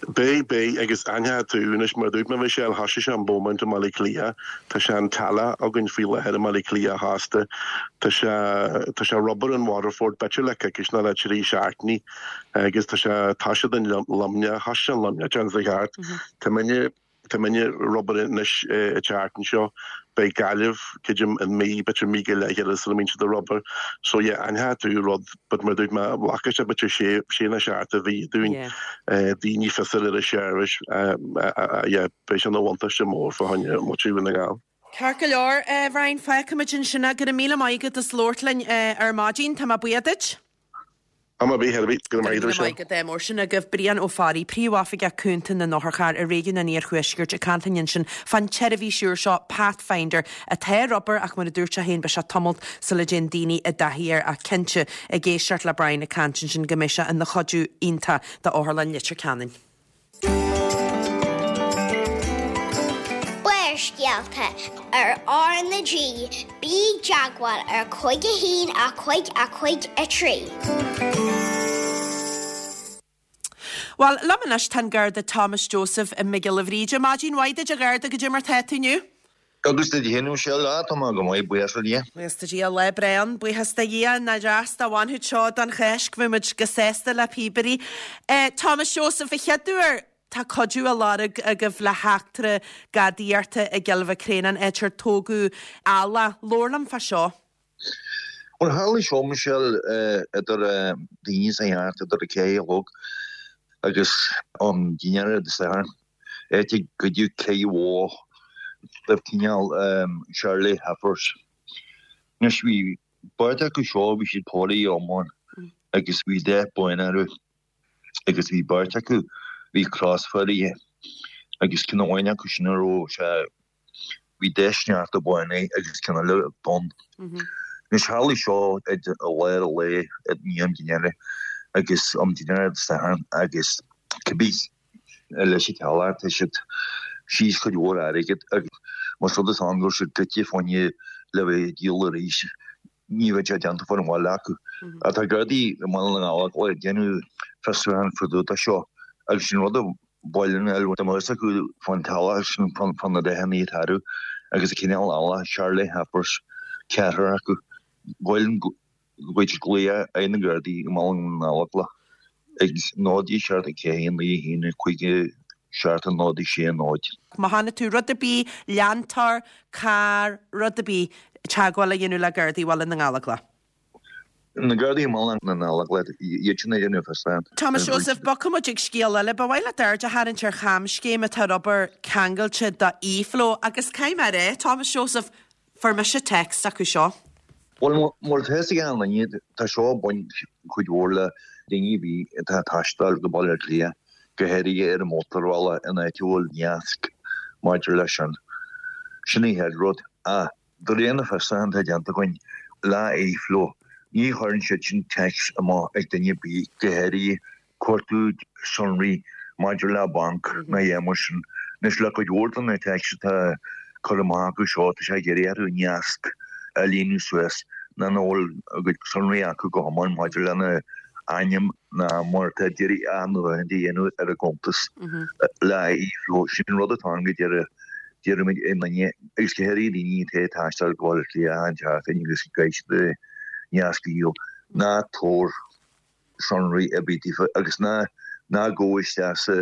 Beidh, beidh, agus aithneoidh tú anois, mar a dúirt mé, Michelle, thoisigh sé in Beaumont i mBaile Átha Cliath, tá sé an Tallaght againn faoi láthair i mBaile Átha Cliath fosta, tá sé, tá sé ar obair in Waterford, b'fhéidir le coicís nó le trí seachtainí, agus tá sé, tá siad in Luimneach, thoisigh sé in Luimneach an tseachtain seo thart, tá muidne, Tá muidne ar obair anois an tseachtain seo. Beidh Gaillimh, creidim, in mí, b'fhéidir mí go leith eile sula mbíonn siad ar obair. So yeah, aithneoidh tú rud, but mar a dúirt mé, glacfaidh sé b'fhéidir sé, sé nó seacht de mhí dúinn daoine fios a fháil ar an seirbhís. Yeah, beidh sé ina bhuntáiste mór fá choinne muintir Dhún na nGall. Ceart go leor, a Bhriain, fágfaimid ansin é. Go raibh míle maith agat as labhairt linn ar maidin. Tá mé buíoch duit. Am ar bith, ar bith, go raibh maith agat. Go raibh maith agat. Mar sin agaibh Brian Ó Fearraigh, Príomhoifigeach Cúnta na nOtharcharr i Réigiún an Iarthuaiscirt ag caint linn ansin fán tseirbhís úr seo, Pathfinder, atá ar obair ach mar a dúirt sé féin beidh sé tamalt sula dtéann daoine i dtaithí air ach cinnte, ag éisteacht le Brian ag caint ansin go mbeidh sé ina chuidiú iontach d'Otharlann Leitir Ceanainn. Barrscéalta ar R na G, bí i dteagmháil ar 5 1 5 5 3. Bhuel, liom anois tá an Garda Thomas Joseph Mac Giolla Bhríde. Maidin mhaith duit a Gharda, goidé mar tá tú inniu? Agus duit féin, a Mhichelle, á, tá mé go maith, buíochas le Dia. Buíochas do Dhia, lá breá ann, buíochas do Dhia, nach deas dá bhainfeadh seo don Cháisc, bheadh muid go sásta le píobairí. Thomas Joseph, a chéaduair, tá cuidiú á lorg agaibh le heachtra gadaíochta i gCill Mhic Réanáin, áit ar tógadh eallach. Labhair liom fá seo. Bhuel, tharla seo, Michelle, idir daoine sa cheart, idir a ceathair a chlog agus am dinnéara Dé Sathairn. Áit a goideadh cith bhó de chineál Charolais heifers. Anois bhí beirt acu seo, bhí siad póraithe iomlán agus bhí dath bán orthu agus bhí beirt acu bhí crosphóraithe agus ceann amháin acu sin a raibh sé Bhí dath sneachta bán air agus ceann eile donn. Anois tharla seo i lár an lae i ndiaidh am dinnéara agus am dinnéara Dé Sathairn agus cibé leis an teaghlach tá siad síos cuid mhór airgid agus más rud is ann go raibh siad goidte fá choinne le bheith ag díol arís ní bheadh sé déanta fán bhaile acu. Ach tá Gardaí i mBaile na nGallóglach ag déanamh fiosrúchán fá dtaobh de seo agus sin rud a Baile na nGall dá mbeadh fhios acu fán teaghlach sin fá na dathanna atá orthu agus an cineál eallach Charolais heifers ceathrar acu. Ba mhaith linn go bhfaigheadh siad glaoch ar na Gardaí i mBaile na nGallóglach ag 0 7 4 9 1 5 7 0 6 0. Má chonaic tú rud ar bith, leantóir, carr, rud ar bith, teagmháil a dhéanamh le Gardaí Bhaile na nGallóglach. Na Gardaí i mBaile na nGallóglach, iad sin ag déanamh fiosrúchán. Thomas Joseph, bogfaidh muid ag scéal eile. Ba mhaith leat aird a tharraingt ar chamscéim atá ar obair ceangailte do eFlow agus caithfidh mé a rá, Thomas Joseph, fuair mise text acu seo. Bhuel, mar atá fhios ag achan duine, tá seo ag baint cuid mhór le daoine a bhí atá ag taisteal go Baile Átha Cliath, go háirithe ar an mótarbhealach in áit a bhfuil nasc maidir leis sin. Sin an chéad rud. Ach De réir na fiosrúchán atá déanta againn le eFlow, ní chuireann siad sin téacs amach ag duine ar bith, go háirithe cuartú sonraí maidir le banc ná a dhath mar sin. Anois, le cuid mhór de na téacs atá curtha amach acu seo, tá sé ag iarraidh orthu nasc a líonadh suas ná nach bhfuil a gcuid sonraí acu go hiomlán maidir lena ainm ná mar atá ag iarraidh athnuachan a dhéanamh ar a gcuntas le eFlow. Sin rud atá ann go deireadh. D'iarraimid ar dhaoine, agus go háirithe daoine atá ag taisteal go Baile Átha Cliath achan tseachtain agus go gcaithfidh siad nasc a dhíol, ná tabhair sonraí ar bith daofa agus ná ná gabh isteach sa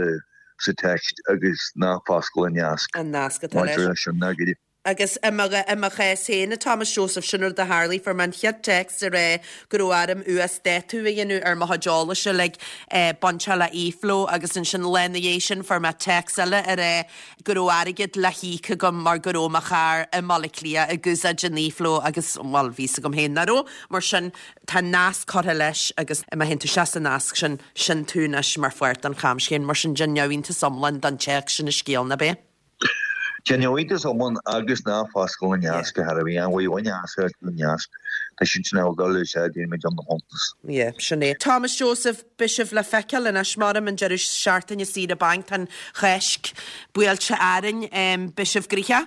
sa text agus ná foscail an nasc An nasc atá leis. maidir leis sin ná go Agus i mo i mo chás féin, a Thomas Joseph, sin rud a tharlaigh, fuair mé an chéad text ag rá go raibh orm uasdátú a dhéanamh ar mo chuid eolais uilig bainteach le eFlow agus ansin lá ina dhiaidh sin fuair mé text eile ag rá go raibh airgead le híoc agam mar go raibh mo charr i mBaile Átha Cliath ag úsáid an eFlow agus, bhuel, bhí 'fhios agam féin nach raibh. Mar sin, tá nasc curtha leis agus má théann tú isteach sa nasc sin, sin tú anois mar pháirt den chamscéim. Mar sin, déan neamhiontas iomlán den téacs sin an scéal, ná b'é? Déan neamhiontas iomlán agus ná foscail an nasc ar chor ar bith. An bhfuil aon nasc ar an nasc? Tá siad sin ag dul a úsáid déanfaimid an chuntas. Yeah, sin é. Thomas Joseph, Beidh sibh le feiceáil anois, measaim, an deireadh seachtaine saoire bainc, tá an Cháisc buailte orainn. Beidh sibh gnoitheach?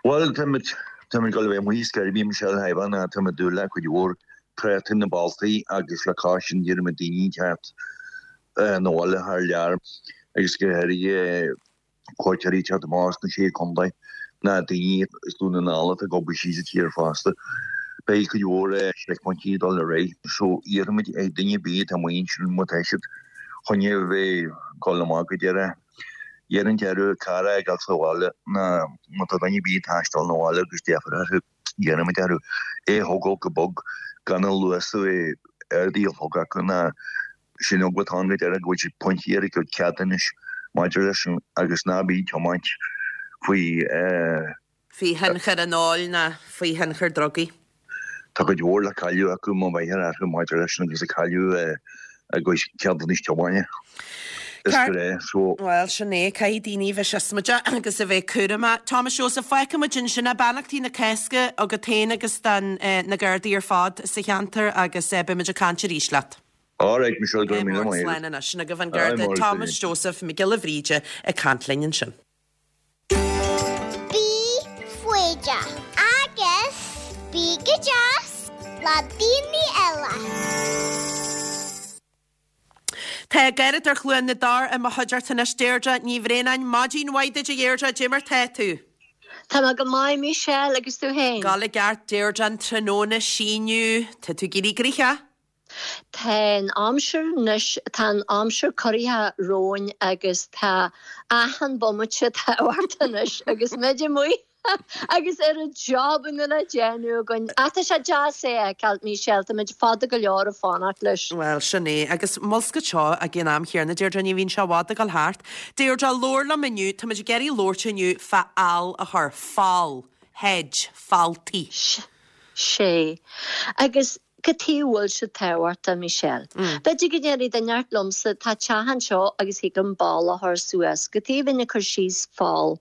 Bhuel, táimid, táimid ag dul a bheith amuigh ar scor ar bith, Michelle Ivan, táimid ag dúil le cuid mhór tráchta na bealtaí agus le cois sin d'iarraimid daoine teacht. 'Na bhaile thar lear agus go háirithe cuairteoirí ag teacht amach as na Sé Chontae ná daoine as Dún na nGall atá ag obair síos sa tír fosta. Beidh cuid mhór seicphointí ag dul ar aghaidh so iarraimid ar duine ar bith atá amuigh ansin má tá siad chun a bheith ag dul amach go deireadh iarraimid orthu carr a fhágáil sa bhaile ná má tá duine ar bith ag taisteal 'na bhaile agus deifir orthu. Iarraimid orthu é a thógáil go bog gan an luas a bheith ardaithe a chlog acu ná sin eagla atá ann go deireadh go bhfuil siad pointí ar a gcuid ceadúnais maidir leis sin agus ná bí ag tiomáint faoi faoi thionchar an óil ná faoi thionchar drugaí. Tá cuid mhór le cailleadh acu má bheifear orthu maidir leis sin agus ag cailleadh a gcuid ceadúnais tiomána. Is grá so. Bhuel, sin é, caithfidh daoine a bheith siosmaideach agus a bheith cúramach. Thomas Joseph, fágfaidh muid ansin é. Beannachtaí na Cásca agat féin agus don na Gardaí ar fad sa cheantar agus beidh muid ag caint arís leat. All right, Michelle, go raibh míle maith agat. Slán anois. Sin agaibh an Garda Thomas Joseph Mac Giolla Bhríde ag caint linn ansin. Bí foighdeach agus bí go deas le daoine eile. Tá Garradóir Chluain na dTor i mo chuideachta anois, Deirdre Ní Bhraonáin. Maidin mhaith duit a Dheirdre, cad é mar tá tú? Tá mé go maith Michelle agus tú féin? Ag gabháil i gceart Deirdre, an tráthnóna ag síneadh, tá tú ag éirí gnoitheach? Tá an aimsir anois, tá an aimsir corraithe romhainn agus tá achan bomaite tábhachtach anois agus muid amuigh. Agus oiread jobanna le déanamh againn. Ach tá sé deas é a fheiceáil, Michelle, tá muid fada go leor ag fanacht leis. Bhuel, sin é. Agus mulscadh seo ag an am chéanna, Deirdre, ní bhíonn sé i bhfad ag dul thart. Deirdre, labhair liom inniu, tá muid ag iarraidh labhairt inniu fá fhál a chur, fál, hedge, fáltaí. Sea. Agus Cad chuige a bhfuil sé tábhachtach, Michelle? B'fhéidir go ndéarfaidh duine inteacht liomsa, tá teach anseo agus thig liom balla a chur suas, cad chuige a bheinn ag cur síos fál?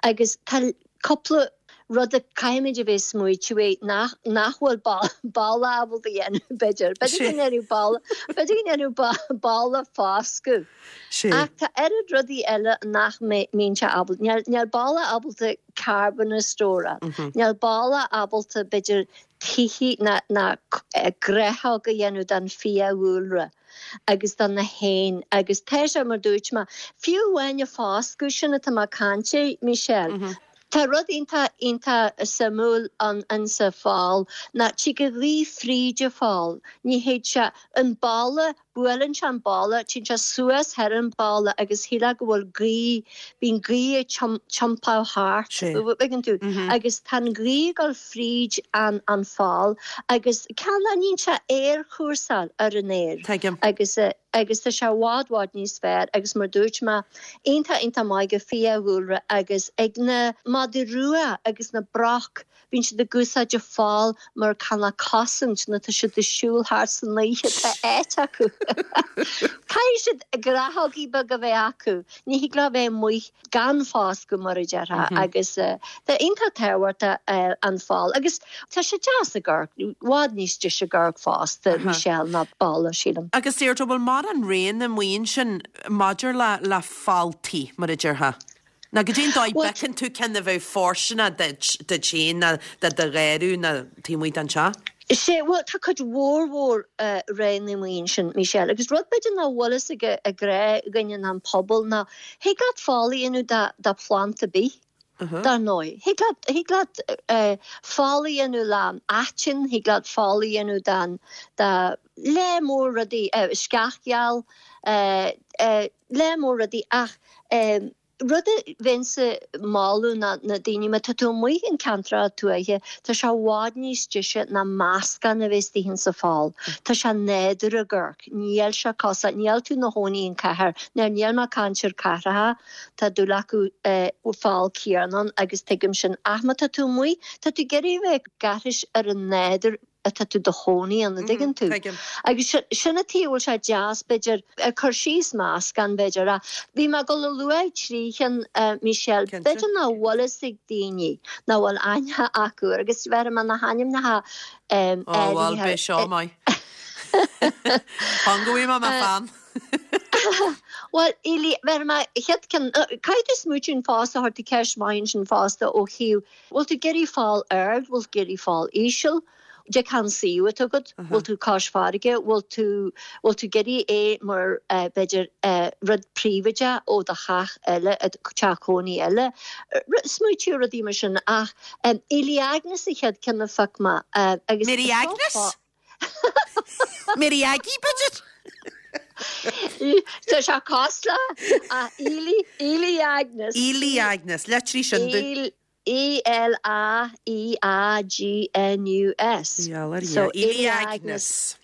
Agus tá cúpla rud a caithfimid a bheith smaoitiú air nach nach bhfuil balla ábalta a dhéanamh, b'fhéidir. B'fhéidir go ndéanfadh balla, b'fhéidir go ndéanfadh balla foscadh. Ach tá oiread rudaí eile nach mbíonn sé ábalta, níl níl balla ábalta carbon a stóráil, níl balla ábalta b'fhéidir tithe ná gnáthóg a dhéanamh don fiadhúlra agus do na héin agus tá sé mar dúirt mé, fiú amháin an foscadh sin atá mé ag caint air, Michelle, tá rud iontach iontach suimiúil ann insa fál ná tig an ghaoth fríd an fál, ní théid sé an balla Buaileann sé an balla, téann sé suas thar an balla agus shílfeá go bhfuil gaoth, bíonn gaoth ag tiompáil thart, tuigeann tú, agus tá an ghaoth ag dul fríd an an fál agus cineál níonn sé aerchúrsáil ar an aer agus agus tá sé i bhfad bhfad níos fearr agus mar dúirt mé, iontach iontach maith do fiadhúlra agus ag na madaí rua agus na broc Bíonn siad ag úsáid an fál mar cineál cosaint nuair atá siad ag siúl thart san oíche, tá áit acu. Caithfidh siad gnáthógaí beaga a bheith acu, ní thig leo a bheith amuigh gan foscadh mar a déarfá agus tá iontach tábhachtach an fál agus tá sé deas ag amharc, i bhfad níos deise ag amharc fosta, Michelle, ná balla, sílim. Agus Deirdre, bhfuil mórán roghanna amuigh ansin maidir le le fáltaí, mar a déarfá? Nó goidé an dóigh Bhuel, bhfeiceann tú ceann a bheadh fóirsteanach duit, duit féin ná do do gharradh ná taobh amuigh den teach? Sea, bhuel, tá cuid mhór mhór roghanna amuigh ansin, Michelle, agus rud b'fhéidir nach bhfuil fhios ag an ghnáthdhuine ná an pobal ná thig leat fál a dhéanamh de de phlant ar bith, dar ndóigh. Thig leat, thig leat fál a dhéanamh le aiteann, thig leat fál a dhéanamh den, de lear mór rudaí, sceach gheal, lear mór rudaí ach rud a bheinnse ag moladh ná na daoine, má tá tú amuigh in ceantracha tuaithe, tá sé i bhfad níos deise ná meascán a bheith istigh insa pholl. Tá sé nádúrtha ag amharc, níl sé cosúil, níl tú 'na chónaí in cathair, now níl mé ag caint ar cathracha, tá dúil acu fál céanna ann agus tuigim sin ach má tá tú amuigh, tá tú ag iarraidh a bheith ag aithris ar an nádúr, atá tú do chónaí ann, an dtuigeann tú? Tuigim. Agus sin an tuige a bhfuil sé deas, b'fhéidir, ag cur síos meascán, b'fhéidir. Ach bhí mé ag dul a lua trí chinn, Michelle, Cinnte. b'fhéidir nach bhfuil fhios ag daoine, nach bhfuil aithne acu air, agus bhéarfaidh mé na hainmneacha Ó, bhuel, áirithe. beidh seo maith. Fan go bhfaighidh mé mo pheann. Bhuel, Ely, bhéarfaidh mé chéad ceann, caithfidh tú smaoitiú fosta, chuir tú ceist maith ansin fosta ó thaobh, Bhfuil tú ag iarraidh fál ard, bhfuil tú ag iarraidh fál íseal? Dé cén suíomh atá agat, bhfuil tú cois farraige, bhfuil tú, bhfuil tú ag iarraidh é mar b'fhéidir rud príobháideach ó do theach eile, teach cónaí eile, smaoitiú ar rudaí mar sin ach Elaeagnus an chéad ceann a phioc mé agus Mary Agnes? Mary Aggie b'fhéidir? Tá sé cosúil ach Elaeagnus. Elaeagnus, litrigh sin domh. E L A E A G N U S. So Elaeagnus.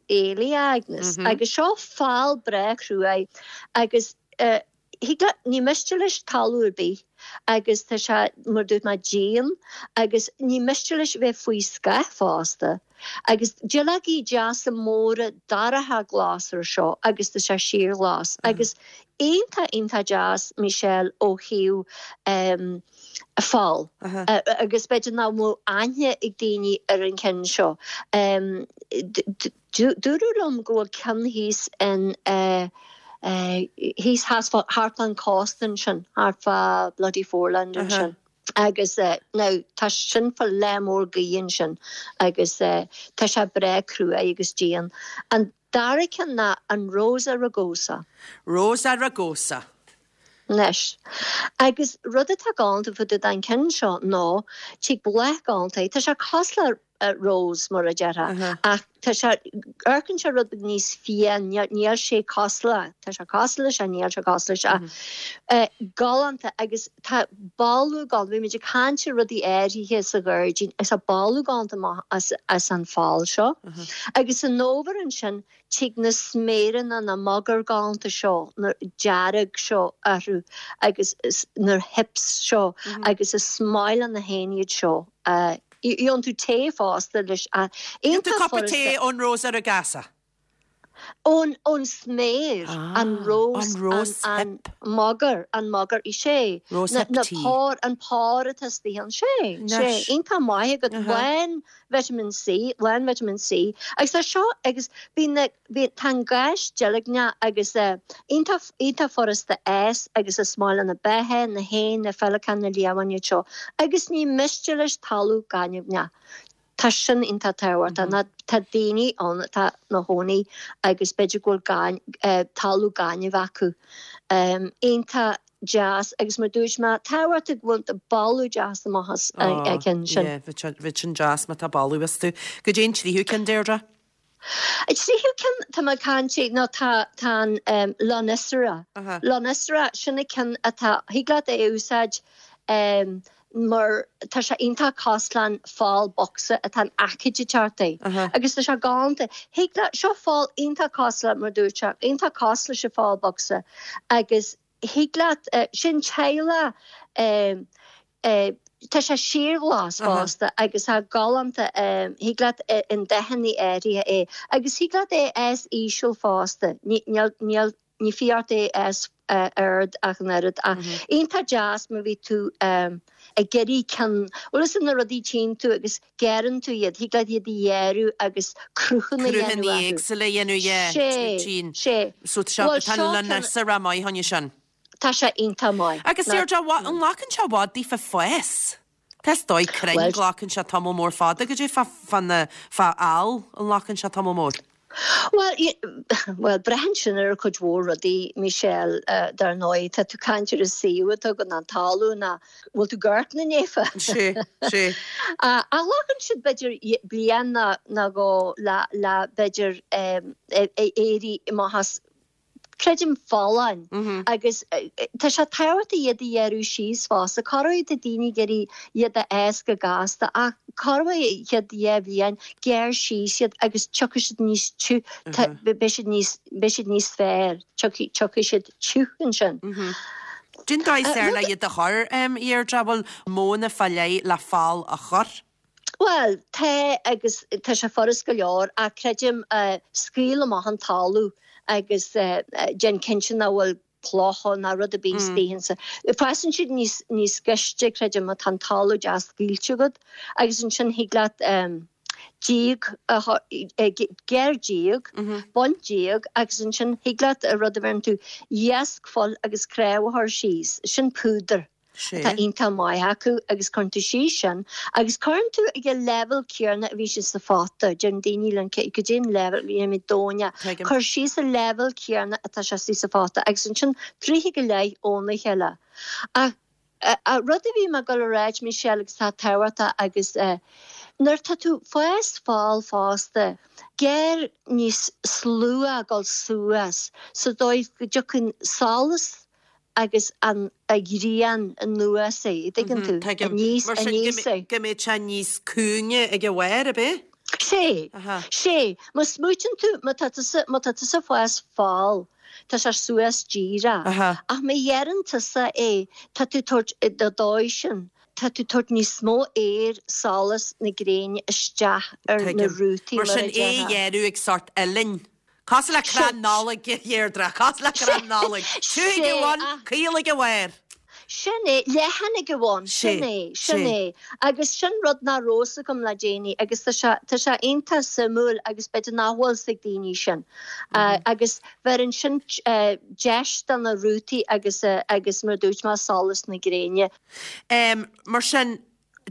Elaeagnus. Agus seo fál breá cruaidh agus thig leat, ní miste leis talamh ar bith agus tá sé, mar a dúirt mé, dian agus ní miste leis bheith faoi scáth fosta. Agus duilleogaí deasa móra dorcha glas air seo agus tá sé síorghlas agus iontach iontach deas Michelle ó thaobh fál agus b'fhéidir nach mbeadh aithne ag daoine ar an cheann seo. Dúradh liom go bhfuil ceann thíos in thíos thart fán cósta ansin, thart fá Bloody Foreland ansin. Agus now tá sin fá leath mór gaoithe ansin agus tá sé breá cruaidh agus dian. An dara ceann ná an Rosa Rugosa. Rosa Rugosa. Anois. Agus rud atá galánta fá dtaobh den ceann seo ná tig bláth galánta é. Tá sé cosúil le rose mar a déarfá ach tá sé, amharcann sé rud beag níos fiáin, níl sé cosúil le, tá sé cosúil leis ach níl sé cosúil leis ach galánta agus tá boladh galánta, bhí muid ag caint ar rudaí áirithe sa ghairdín agus tá boladh galánta amach as an fál seo agus san fhómhar ansin Tig na sméireanna, na mogair galánta seo, na dearg seo orthu agus na hips seo agus is maith le na héin iad seo. Gheobhann tú tae fosta leis. Gheobhann tú cupa tae ón Rosa Rugosa? Ón ón sméir, an rose, an mogar, an mogar, sé. Rose hip tea. An pár atá istigh ann, sé, sé. Iontach maith agat, lán Vitamin C, lán vitamin C agus tá seo agus bíonn na, bíonn, tá an gás deilgneach agus eh iontach, iontach furasta fhás agus is maith le na beithe, na héin, na féileacáin, na liamháin iad seo agus ní miste leis talamh gaineamhach. Tá sin iontach tábhachtach ná tá daoine ann atá ina chónaí agus b'fhéidir go bhfuil gain, eh talamh gainimh acu. Iontach deas agus mar dúirt mé, tábhachtach go bhfuil boladh deas amach as an gceann sin. Yeah, bheadh sin deas má tá boladh astu. Goidé an tríú ceann, Deirdre? An tríú ceann, tá mé ag caint nó tá tá an Lonicera. Lonicera, sin an ceann atá, thig leat é a úsáid mar tá sé iontach cosúil leis an fál bocsa atá in aice ag teacht é. Agus tá sé galánta. Thig leat, seo fál iontach cosúil le, mar dúirt sé, iontach cosúil leis an fál bocsa agus thig leat, sin teaghlach, tá sé síorghlas fosta agus tá galánta, thig leat i ndathanna áirithe é agus thig leat é a fhás íseal fosta, níl, níl, ní fiú ort é a fhás ard ach an oiread ach iontach deas má bhí tú ag iarraidh ceann, bhfuil fhios agat na rudaí tchíonn tú agus gearrann tú iad, thig leat iad a ghearradh agus cruthanna a dhéanamh Cruthanna orthu. éagsúla a dhéanamh, yeah, Sé, tchíonn. sé. So tá sé, Bhuel, tá seo an ceann, Lonicera maith fá choinne sin. tá sé iontach maith. Agus Deirdre, an nglacann sé i bhfad daofa fás? Tá is dóigh crainn, Bhuel, glacann sé tamall mór fada, goidé fá, fá na, fá fhál, an nglacann sé tamall mór? Bhuel, bhuel, braitheann sin ar chuid mhór rudaí, Michelle, dar ndóigh. Tá tú ag caint ar an suíomh atá agat, an talamh, ná bhfuil tú ag amharc ina ndiaidh? Sé, sé. Ach glacann siad b'fhéidir bliain nó dhó le, le b'fhéidir éirí amach as creidim, folláin agus tá sé tábhachtach iad a ghearradh síos fosta. Corruair tá daoine ag iarraidh iad a fhás go gasta ach corruair an chéad dhá bhliain, gearr síos iad agus tiocfaidh siad níos tiugh, beidh siad níos, beidh siad níos fearr, tiocfaidh, tiocfaidh siad tiugh ansin. Cén dóigh is fearr le iad a chur, a Dheirdre, bhfuil modhanna fá leith le fál a chur? Bhuel, tá agus tá sé furast go leor ach creidim, scaoil amach an talamh agus déan cinnte nach bhfuil clocha ná rud ar bith istigh ansin. Fásann siad níos, níos gaiste, creidim, má tá an talamh deas scaoilte agat agus ansin thig leat díog a chur, gearr díog, bain díog agus ansin thig leat rud a bheireann tú iasc fuil agus cnámh a chur síos, sin púdar. Atá iontach maith acu agus cuireann tú síos sin agus cuireann tú ag an leibhéal céanna a bhí sé sa phota, deireann daoine liom cad é an leibhéal, bhí mé domhain, cuir síos an leibhéal céanna atá sé istigh sa phota agus ansin troigh go leith óna chéile. Ach rud a bhí mé ag dul a ráit Michelle agus tá tábhachtach agus nuair atá tú fás fál fosta, gearr níos slua ag dul suas sa dóigh go dtiocfaidh solas agus an ghrian anuas é, an dtuigeann tú? Tuigim. Aníos, Mar sin aníos é. go mbeidh sé níos cúinge ag an bharr, ab é? Sé, sé. Má smaoitíonn tú, má tá tusa, má tá tusa ag fás fál, tá sé suas díreach. Ach má ghearrann tusa é, tá tú ag tabhairt, do dóigh sin, tá tú ag tabhairt níos mó aeir, solas na gréine isteach ar na Tuigim. rútaí, Mar mar sin a é a déarfá. ghearradh ag sórt uillinn. Cosúil le crann Nollag, a Dheirdre, cosúil le crann Nollag. Tiubh ag an bhun, caol ag an bharr. Sin é, leathan ag an bhun, sin é, sin é. Agus sin rud nach raibh fhios agam le déanaí agus tá sé, tá sé iontach suimiúil agus b'fhéidir nach bhfuil fhios ag daoine sin. Agus bheireann sin deis do na rútaí agus, agus mar a dúirt mé, solas na gréine. Mar sin,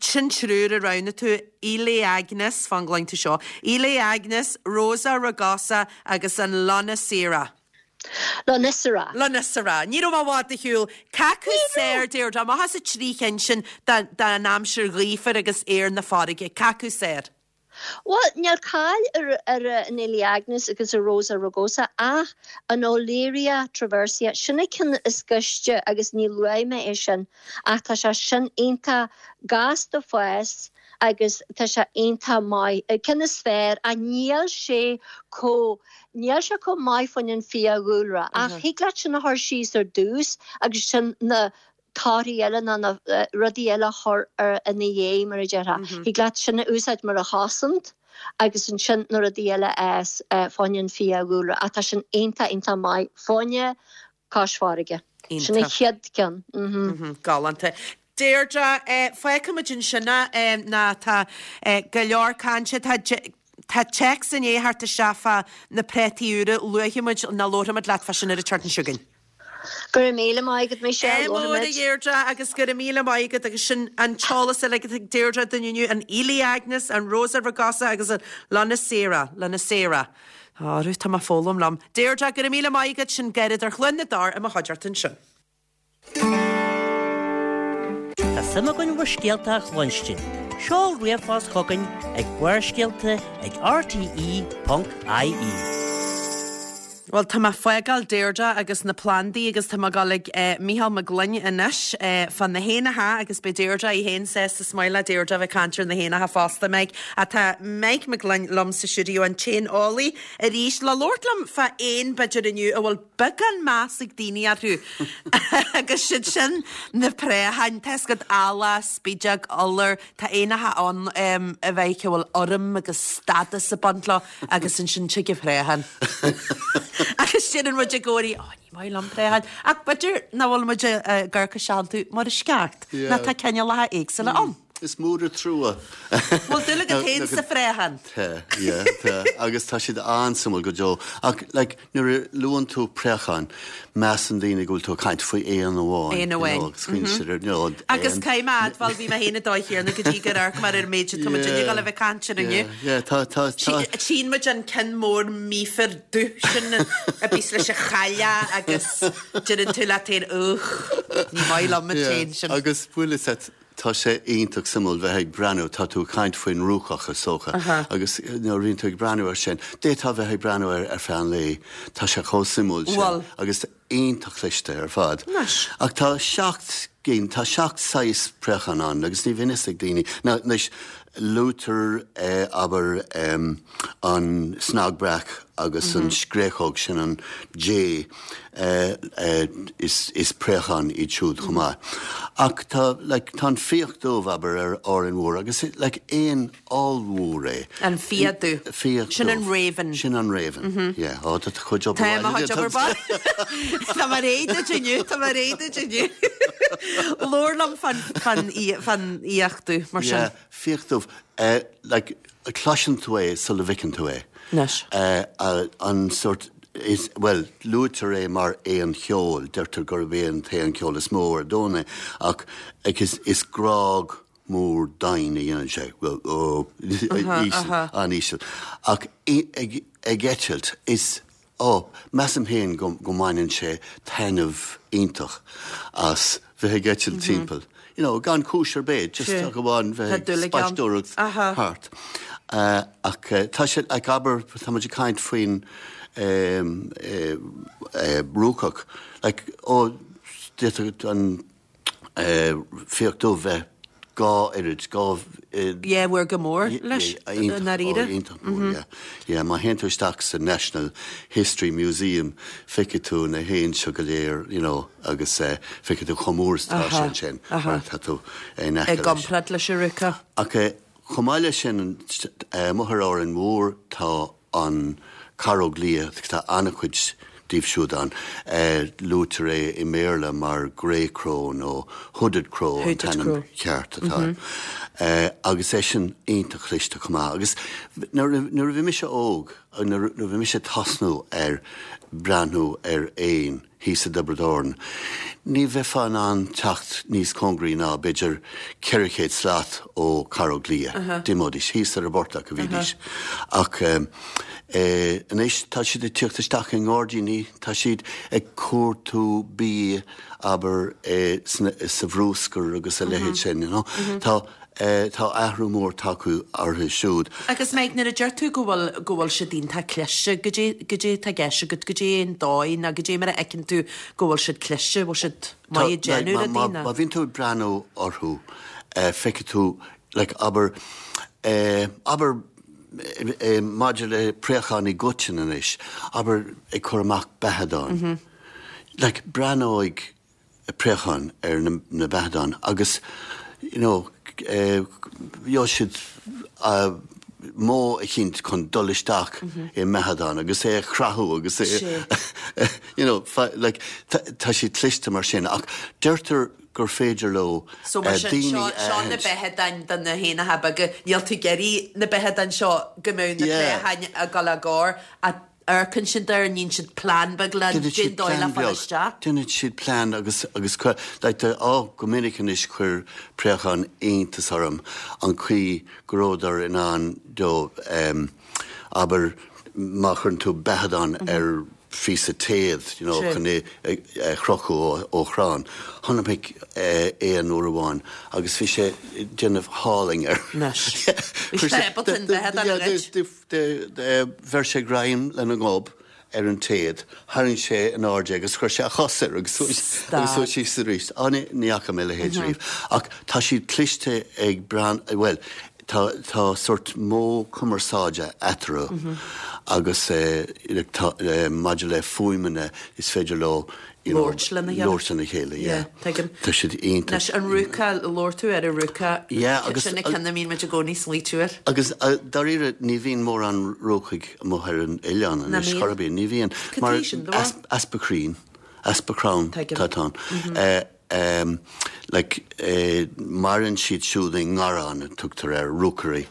Sin triúr a roghnaigh tú, Elaeagnus, fan go gcluin tú seo, Elaeagnus, Rosa rugosa agus an Lonicera. Lonicera. Lonicera. Ní raibh mé i bhfad ar shiúl. Cé acu is fearr, Deirdre, amach as an trí chinn sin don aimsir ghaofar agus aer na farraige, cé acu is fearr? Bhuel, níl cáil ar ar an Elaeagnus agus ar Rosa rugosa ach an Olearia traversii, sin an ceann is gaiste agus ní luaigh mé é sin ach tá sé sin iontach gasta fás agus tá sé iontach maith, an ceann is fearr ach níl sé chomh, níl sé chomh maith fá choinne an fiadhúlra ach thig leat sin a chur síos ar dtús agus sin na torthaí eile ná na rudaí eile a chur ar ina dhiaidh, mar a déarfá. Thig leat sin a úsáid mar a chosaint agus ansin na rudaí eile a fhás fá choinne an fiadhúlra. Ach tá sin iontach, iontach maith fá choinne cois farraige. Sin an chéad ceann. Galánta. Deirdre, fágfaimid ansin é ná tá go leor cainte, tá tá téacs i ndiaidh theacht isteach fá na préataí úra, luafaidh muid nó labharfaimid leat fá sin ar an tseachtain seo chugainn. Go raibh míle maith agat Michelle, Ádh mór a Dheirdre agus go raibh míle maith agat agus sin an t-eolas uilig atá ag Deirdre dúinn inniu, an Elaeagnus, an Rosa rugosa agus an Lonicera, Lonicera. Á, rú, tá mé ag foghlaim liom. Deirdre, go raibh míle maith agat, sin gairid ar Chluain na dTor i mo chuideachta ansin. Tá suim againn bhur scéalta a chluinstin. Seol ríomhphost chugainn ag barrscéalta ag rte.ie. Bhuel, tá mé ag fágáil Deirdre agus na plandaí agus tá mé ag dul ag Mícheál Mac Gloinn anois fá na héanacha agus beidh Deirdre í féin sásta is maith le Deirdre a bheith ag caint ar na héanacha fosta, Mike. Ach tá Mike Mac Gloinn liom sa stiúideo, an t-éaneolaí, arís le labhairt liom fá éan b'fhéidir inniu a bhfuil beagán meas ag daoine orthu agus siad sin na préacháin. Tá fhios agat, eala, spideog, iolar, tá éanacha ann a bheidh a bhfuil urraim agus stádas ag baint leo. Agus ansin tig an préachán. Agus deireann muid i gcónaí, Ó, ní maith liom préacháin. Ach b'fhéidir nach bhfuil muid ag amharc isteach iontu mar is ceart. Nó tá cineálacha éagsúla ann. Is mór an trua. Bhfuil dúil agat féin sa phréachán? Tá, yeah, tá. Agus tá siad an-suimiúil go deo. Ach, like, Nuair a luann tú préachán, measann daoine go bhfuil tú ag caint faoi éan amháin. Éan amháin. You know, agus cuimhníonn siad ar, you know, éan. Agus caithfidh mé a admháil, bhí mé féin an dóigh chéanna go dtí gur amharc mé ar an méid atá muid ag dul a bheith ag caint air inniu. Yeah, yeah, tá, tá, tá. Tchíonn muid an ceann mór míofar dubh sin a bíos leis an chailleach agus deireann tú leat féin, ugh, ní maith liom an t-éan sin. Yeah, agus bhfuil fhios agat, Tá sé iontach suimiúil bheith ag breathnú, tá tú ag caint faoin rúcach is dócha, agus nuair a bhíonn tú ag breathnú air sin, d'fhéadfá bheith ag breathnú air ar feadh an lae, tá sé chomh suimiúil sin agus iontach cliste ar fad. Ach tá seacht gcinn, tá seacht saghas préachán ann agus ní bhíonn fhios ag daoine, now anois luaitear abair an cnag breac agus an scréachóg, sin an jay, Is préacháin iad siúd chomh maith. Ach tá, like, tá an fiach dubh, abair, ar Árainn Mhór agus, like, éan ollmhór é. An fiach dubh. Fiach dubh. Sin an raven. Sin an raven, yeah. Ó, tá do chuid obair Tá mo chuid obair baile. Tá mé réidh duit inniu, tá mé réidh duit inniu. Labhair liom fán, fán, fán fhiach dubh, mar sin. Yeah, fiach dubh. Like, cloiseann tú é sula bhfeiceann tú é. Anois. An sórt. Is, bhuel, luaitear é mar éan cheoil, deirtear gurb é an t-éan ceoil is mó ar domhan é, ach is, is grág mór domhain a dhéanann sé, bhuel, ó, íseal, an-íseal. Ach ag, ag eitilt, is, ó, measaim féin go, go mbaineann sé taitneamh iontach as bheith ag eitilt timpeall. You know, gan cúis ar bith, just ach amháin bheith ag spaisteoireacht thart. Ach tá sé, like, abair, tá muid ag caint faoin rúcach, like, ó, d'fhéadfadh an fiach dubh bheith 2 oiread, 2. Yeah, mhór go mór leis, i ndáiríre. Iontach mór, yeah. Yeah, má théann tú isteach sa National History Museum, feicfidh tú na héin seo go léir, you know, agus feicfidh tú chomh mór is atá sé ansin mar tá tú in aice leis. I gcomparáid leis an rúcach. Ach chomh maith leis sin, amuigh ar Árainn Mhór tá an caróg liath, tá an-chuid díobh siúd ann. Luaitear é i mBéarla mar grey crow nó hooded crow an t-ainm ceart atá air. Agus eisean iontach cliste chomh maith. Agus nuair a bhí mise óg, nuair a bhí mise ag tosnú ar breathnú ar éin, thíos i dTiobraid Árann. Ní bheifeá in ann teacht níos cóngaraí ná b'fhéidir 400 slat ó charóg liath. D'imeoidís thíos ar an bportach a bhídís. Ach anois tá siad ag tíocht isteach i ngairdíní, tá siad ag cuartú bia, abair, sa bhrúscar agus a leithéid sin, you know. Tá. Tá athrú mór tagtha orthu siúd. Agus Mike, nuair a deir tú go bhfuil, go bhfuil siad iontach cliste, goidé, goidé atá i gceist agat, goidé an dóigh nó goidé mar a fheiceann tú go bhfuil siad cliste, bhfuil siad maith ag déanamh rudaí nó? Má bhíonn tú ag breathnú orthu, feicfidh tú, like, abair, abair maidir le préacháin i gcoitinne anois, abair ag cur amach beathadáin. Like, breathnóidh préacháin ar na beathadáin agus you know gheobhaidh siad modh eicínt chun dul isteach i mbeathadán agus é a chrathú agus é you know like tá siad cliste mar sin ach deirtear gur féidir leo So mar sin daoine a seo na beathadáin do na héanacha beaga níl tú ag iarraidh na beathadáin seo go mbeadh na préacháin ag dul á gcur ach Amharcann siad air, níonn siad plean beag le Déanann siad dóigh le plean fáil beag. isteach. Déanann siad plean agus agus cuir like the oh go minic anois chuir préachán iontas orm an chaoi go rabhadar in ann do em abair má chuireann tú beathadán ar phíosa téad you know chun é a chrochadh ó ó chrann. Chonaic mé éan uair amháin agus bhí sé ag déanamh hauling air. Anois. Bhí sé ábalta an beathadán a ghoid. Bheir sé greim lena ghob ar an téad, tharraing sé in airde é agus chuir sé a chos air agus suas síos arís. Á, ní fhaca mé a leithéid riamh. Ach tá siad cliste ag breathnú, bhuel, tá tá sórt modh cumarsáide eatarthu agus tá maidir le fuaimeanna is féidir leo you know, Labhairt lena chéile. labhairt lena chéile, yeah. Yeah, tuigim. Tá siad iontach. Anois, an rúca, labhair tú ar an rúca. Yeah, agus. Sin an ceann a mbíonn muid i gcónaí ag smaoitiú air. Agus dáiríre, ní bhíonn mórán rúcaigh amuigh ar an oileán anois, chor ar bith. Ní bhíonn. Cad é sin, do Mar easpa crainn, easpa crann Tuigim. tá ann. Like, maireann siad siúd i ngarrán, a tugtar air, rookery,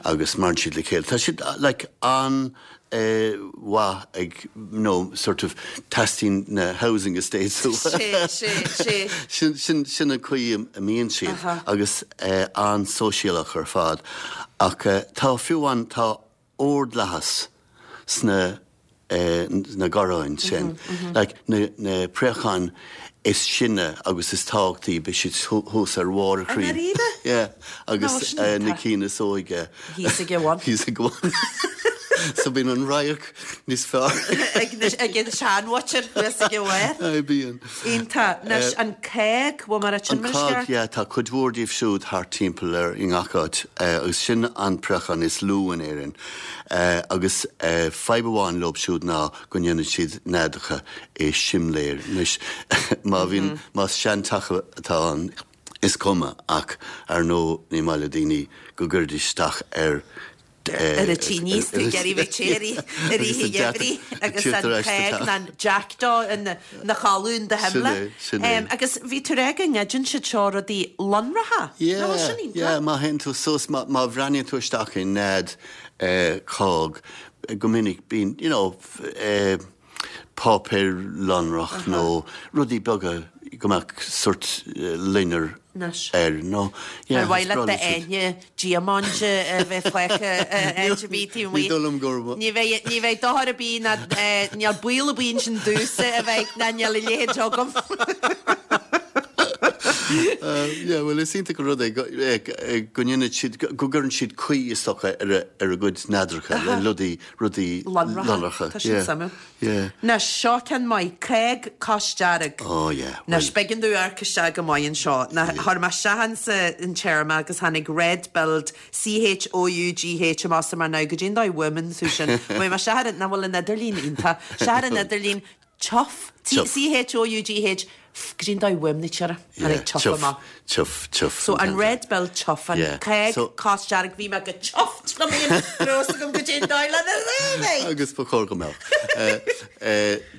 agus maireann siad le chéile. Tá siad, like, an mhaith ag no sort of teastaíonn na housing estates uathu. Sé, sé, sé. Sin, sin, sin an chaoi a mbíonn siad agus an-sóisialach ar fad. Ach tá, fiú amháin, tá ordlathas sna na garráin sin. Like na, na préacháin is sine agus is tábhachtaí, beidh siad thuas ar bharr an chrainn. I ndáiríre? Yeah. Agus na cinn is óige. Thíos ag a bhun. Thíos ag a bhun. So bíonn an radharc níos fearr. Ag an seanmhuintir thuas ag a bharr. Aye, bíonn. Iontach. Anois, an cág, bhfuil mé ag rá sin An mar is cág, ceart? yeah, tá cuid mhór díobh siúd thart timpeall ar i ngach áit agus sin an préachán is lú in Éirinn. Agus fadhb amháin leob siúd ná go ndéanann siad neadacha i simléir. Anois, má bhíonn, más seanteach atá ann, is cuma, ach ar ndóigh ní maith le daoine go gcuirfidís isteach ar ar an tine is tú ag iarraidh bheith te i rith an gheimhridh agus an cág nó an jackdaw ina chodladh in do shimléar. Sin é, sin é. Agus bhí tú ag rá go ngoideann siad seo rudaí lonracha. Yeah, yeah, má théann tú suas, má bhreathnaíonn tú isteach i nead cág, go minic bíonn, you know, eh. páipéar lonrach nó rudaí beaga go mbeadh sort loinnir air nó yeah. Ar mhaith leat d'aithne diamaint a bheith fágtha áit ar bith taobh amuigh? Ní dóigh liom gur. Ní bheidh, ní bheidh dochar ar bith ná níl baol ar bith ansin domhsa a bheidh ná níl a leithéid agam. Yeah, bhuel is iontach an rud é go ndéanann siad, go gcuireann siad caoi is dócha ar a gcuid neadracha le rudaí, rudaí lonracha. Tá sin suimiúil. Yeah. Anois, seo ceann maith, Cág cosdearg. Oh yeah. Anois, b'éigean domh amharc isteach go maith anseo. Ná, chuir mé isteach insa an téarma agus tháinig red-billed C-H-O-U-G-H amach is mé now goidé an dóigh a bhfuaimeann tú sin. Chuaigh mé isteach ar an, nach bhfuil an idirlíon iontach, isteach ar an idirlíon, Chough, C-H-O-U-G-H, goidé an dóigh a bhfuaimnítear é, tháinig chough amach. Chough, chough. So an red-billed chough, an cág cosdearg, bhí mé go chuffed liom féin go raibh fhios agam goidé an dóigh lena léamh é! Agus ba chóir go mbeadh.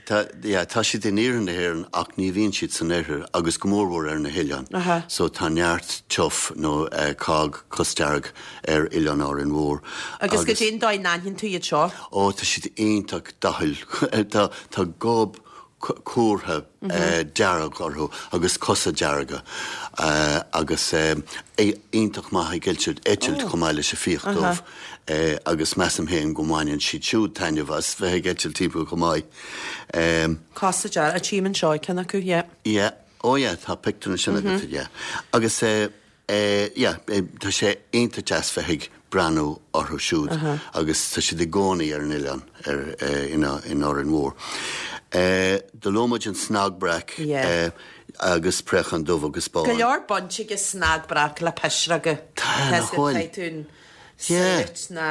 Tá, yeah, tá siad in iarthar na hÉireann ach ní bhíonn siad san oirthear agus go mórmhór ar na hoileáin. So tá neart chough nó cág cosdearg ar Oileán Árainn Mhór. Agus goidé an dóigh a n-aithníonn tú iad seo? Ó, tá siad iontach dathúil. Tá tá gob cuartha dearg orthu agus cosa dearga agus iontach maith ag eitilt, eitilt chomh maith leis an fiach dubh agus measaim féin go mbaineann siad siúd taitneamh as bheith ag eitilt timpeall chomh maith. Cosa dearga, tchím anseo ceann acu, yeah. Yeah, oh yeah, tá pictiúr ansin agat, yeah. Agus Yeah, tá sé iontach deas bheith ag breathnú orthu siúd agus tá siad i gcónaí ar an oileán, ar, in, in Árainn Mhór. Do luaigh muid an snag breac agus préachán dubh agus bán. Go leor baint ag snag breac le pisreoga. Tá, nach bhfuil? Caithfidh tú an sagart ná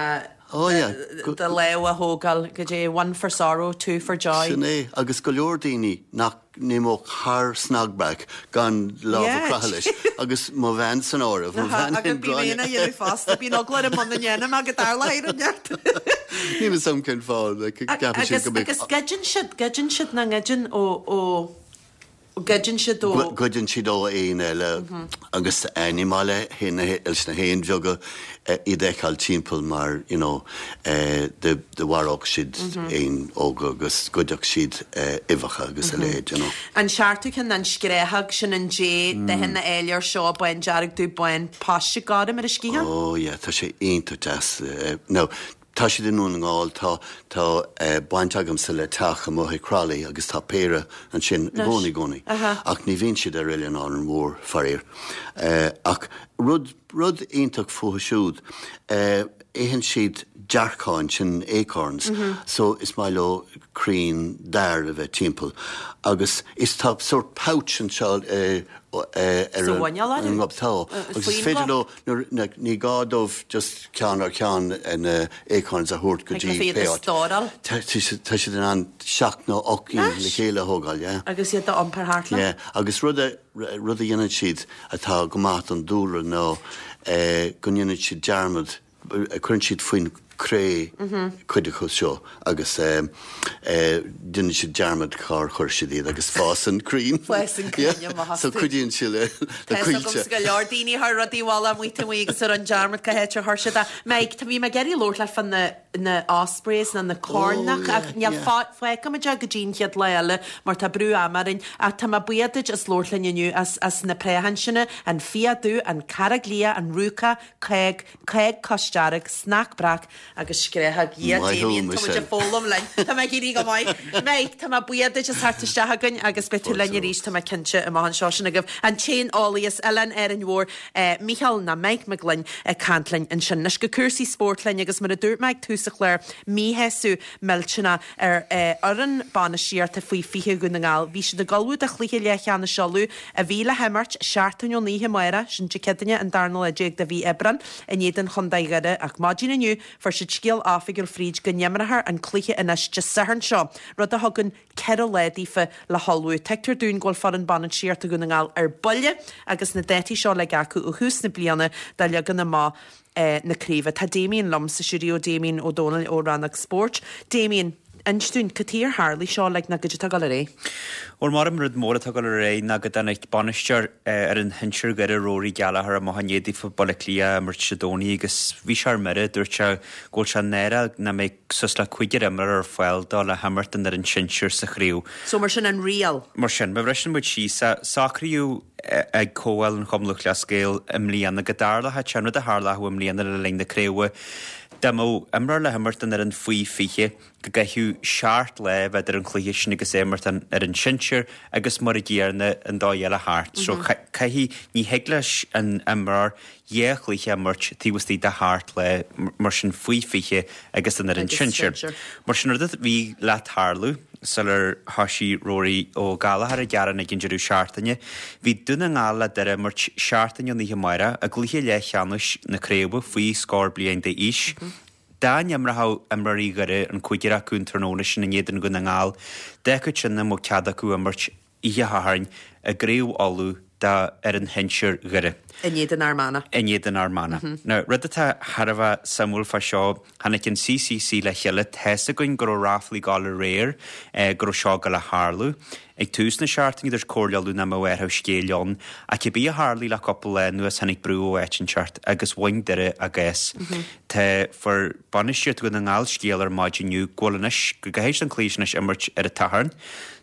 do lámh a thógáil goidé, one for sorrow, two for joy. Sin é, agus go leor daoine nach n-imeodh thar snag breac gan lámh a chroitheadh leis, agus mo bhean san áireamh, mo bhean Agus bím féin á dhéanamh fosta, bíonn eagla orm muna ndéanaim é go dtarlóidh rud inteacht. Níl fhios a'm cén fáth, like, ceapann siad go mbeadh. Agus goideann siad, goideann siad, nach ngoideann ó, ó, goideann siad ó. Goideann siad ó éin eile agus ní maith le leis na héin bheaga iad a fheiceáil timpeall mar you know do mharódh siad éin óga agus ghoidfeadh siad uibheacha agus a leithéid you know. An seachtú ceann an scréachóg sin an dé dathanna áille seo bán dearg dubh bán paiste gorm ar a sciathán. Oh yeah tá sé iontach deas now tá siad i nDún na nGall tá tá baint agamsa le teach amuigh i Crolly agus tá péire ansin i gcónaí i gcónaí ach ní bhíonn siad ar Oileán Árainn Mhór faraor ach rud Rud iontach fúthu siúd, itheann siad dearcáin, sin acorns, so is maith leo crainn dair a bheith timpeall. Agus is tá sórt pouch anseo ar an ngob, tá, agus is féidir leo, ní gá dóibh just ceann ar cheann na acorns a thabhairt go dtí pé áit. Tá siad in ann seacht nó 8 gcinn le chéile a thógáil, yeah. Agus iad a iompar thart leo. Yeah, agus rud a. Rud a dhéanann siad atá go maith don dúlra ná go ndéanann siad dearmad, cuireann siad faoin cré cuid acu seo agus déanann siad dearmad cár chuir siad iad agus fásann crainn. Fásann crainn amach astu. So cuidíonn siad le coillte. Tá 's agamsa go leor daoine a chuir rudaí i bhfolach amuigh taobh amuigh agus a rinne dearmad cá háit ar chuir siad é. Mike, tá bhí mé ag iarraidh labhairt leat fá na na ospreys nó na coirneacha ach níl fágfaimid é go dtí an chéad lá eile mar tá brú ama orainn ach tá mé buíoch duit as labhairt linn inniu as as na préacháin sin, an fiach dubh, an carraig liath, an rúca, cág, cág cosdearg, snag breac agus scréachóg. Dhia Maith thú, Damien, tá muid Michelle. ag foghlaim linn. Tá mé ag éirí go maith. Mike, tá mé buíoch duit as theacht isteach chugainn agus beidh tú linn arís, tá mé cinnte, amach anseo. Sin agaibh an t-éaneolaí as Oileán Árainn Mhór. Mícheál nó Mike Mac Gloinn ag caint linn ansin. Anois go cúrsaí spóirt linn agus mar a dúirt mé ag tús an chláir, míshásamh millteanach ar fhoireann bainistíochta faoi 20 Dhún na nGall. Bhí siad ag ullmhú do chluiche leathcheannais Uladh a bhí le himirt seachtain ón oíche amárach, sin Dé Céadaoine an darna lá déag de mhí Aibreán, in éadan Chontae Dhoire ach maidin inniu fuair siad scéal oifigiúil fríd go n-imreofar an cluiche anois Dé Sathairn seo, rud a thugann 4 lá daofa le hullmhú. Tuigtear dúinn go bhfuil foireann bainistíochta Dhún na nGall ar buile agus na dátaí seo uilig acu ó thús na bliana do leagan amach na craoibhe. Tá Damien liom sa stiúideo, Damien Ó Dónaill ó Rannóg Spóirt. Damien. Inis dúinn, cad chuige ar tharlaigh seo, like, nó goidé atá ag dul ar aghaidh? Bhuel, mar an rud mór atá ag dul ar aghaidh ná go dtáinig bainisteoir fhoireann shinsir Dhoire, Rory Gallagher, amach i ndiaidh daofa Baile Átha Cliath a imirt Dé Domhnaigh agus bhí sé ar mire. Dúirt sé go bhfuil sé náireach nach mbeidh suas le cúigear imreoir ar fáil dó le himirt don fhoireann sinsir sa chraobh. So mar sin an riail. Mar sin, má bhriseann muid síos é, socraíodh ag Comhdháil an Chumann Lúthchleas Gael i mbliana go dtarlódh sé an rud a tharlódh i mbliana le linn na craoibhe, Dá mbeadh imreoir le himirt don fhoireann faoi 20, go gcaithfeadh seacht lá a bheith idir an chluiche sin agus é imirt don fhoireann sinsir agus mar a gcéanna an dóigh eile thart. So caithfidh, ní thig leis an imreoir dhá chluiche a imirt taobh istigh de sheacht lá, mar sin faoi 20 agus don fhoireann sinsir. Mar sin rud a bhí le tarlú sular thoisigh Rory Ó Gallchóir ag gearán ag an deireadh seachtaine, bhí Dún na nGall le Doire a imirt seachtain ón oíche amárach i gcluiche leathcheannais na craoibhe faoi scór bliain d'aois. Dá n-imreochadh imreoirí Dhoire, an cúigear acu, an tráthnóna sin in éadan Dhún na nGall, d'fhágfadh sin nach mbeadh cead acu imirt oíche Shathairn i gCraobh Uladh d'fhoireann shinsir Dhoire. In éadan Fhear Manach. In éadan Fhear Manach. Now, rud atá thar a bheith suimiúil fá seo, tháinig an CCC le chéile, tá's againn go raibh ráflaí ag gabháil aréir go raibh seo ag gabháil a tharlú. Ag tús na seachtaine dúirt Comhairle Uladh nach mbeadh athrú scéil ann, ach cibé a tharlaigh le cúpla lá anuas tháinig brú ó áit inteacht agus bhain Doire a gcás. Tá fuair bainistíocht Dhún na nGall scéal ar maidin inniu go bhfuil anois, go gcaithfidh siad an cluiche sin anois imirt ar an tSatharn.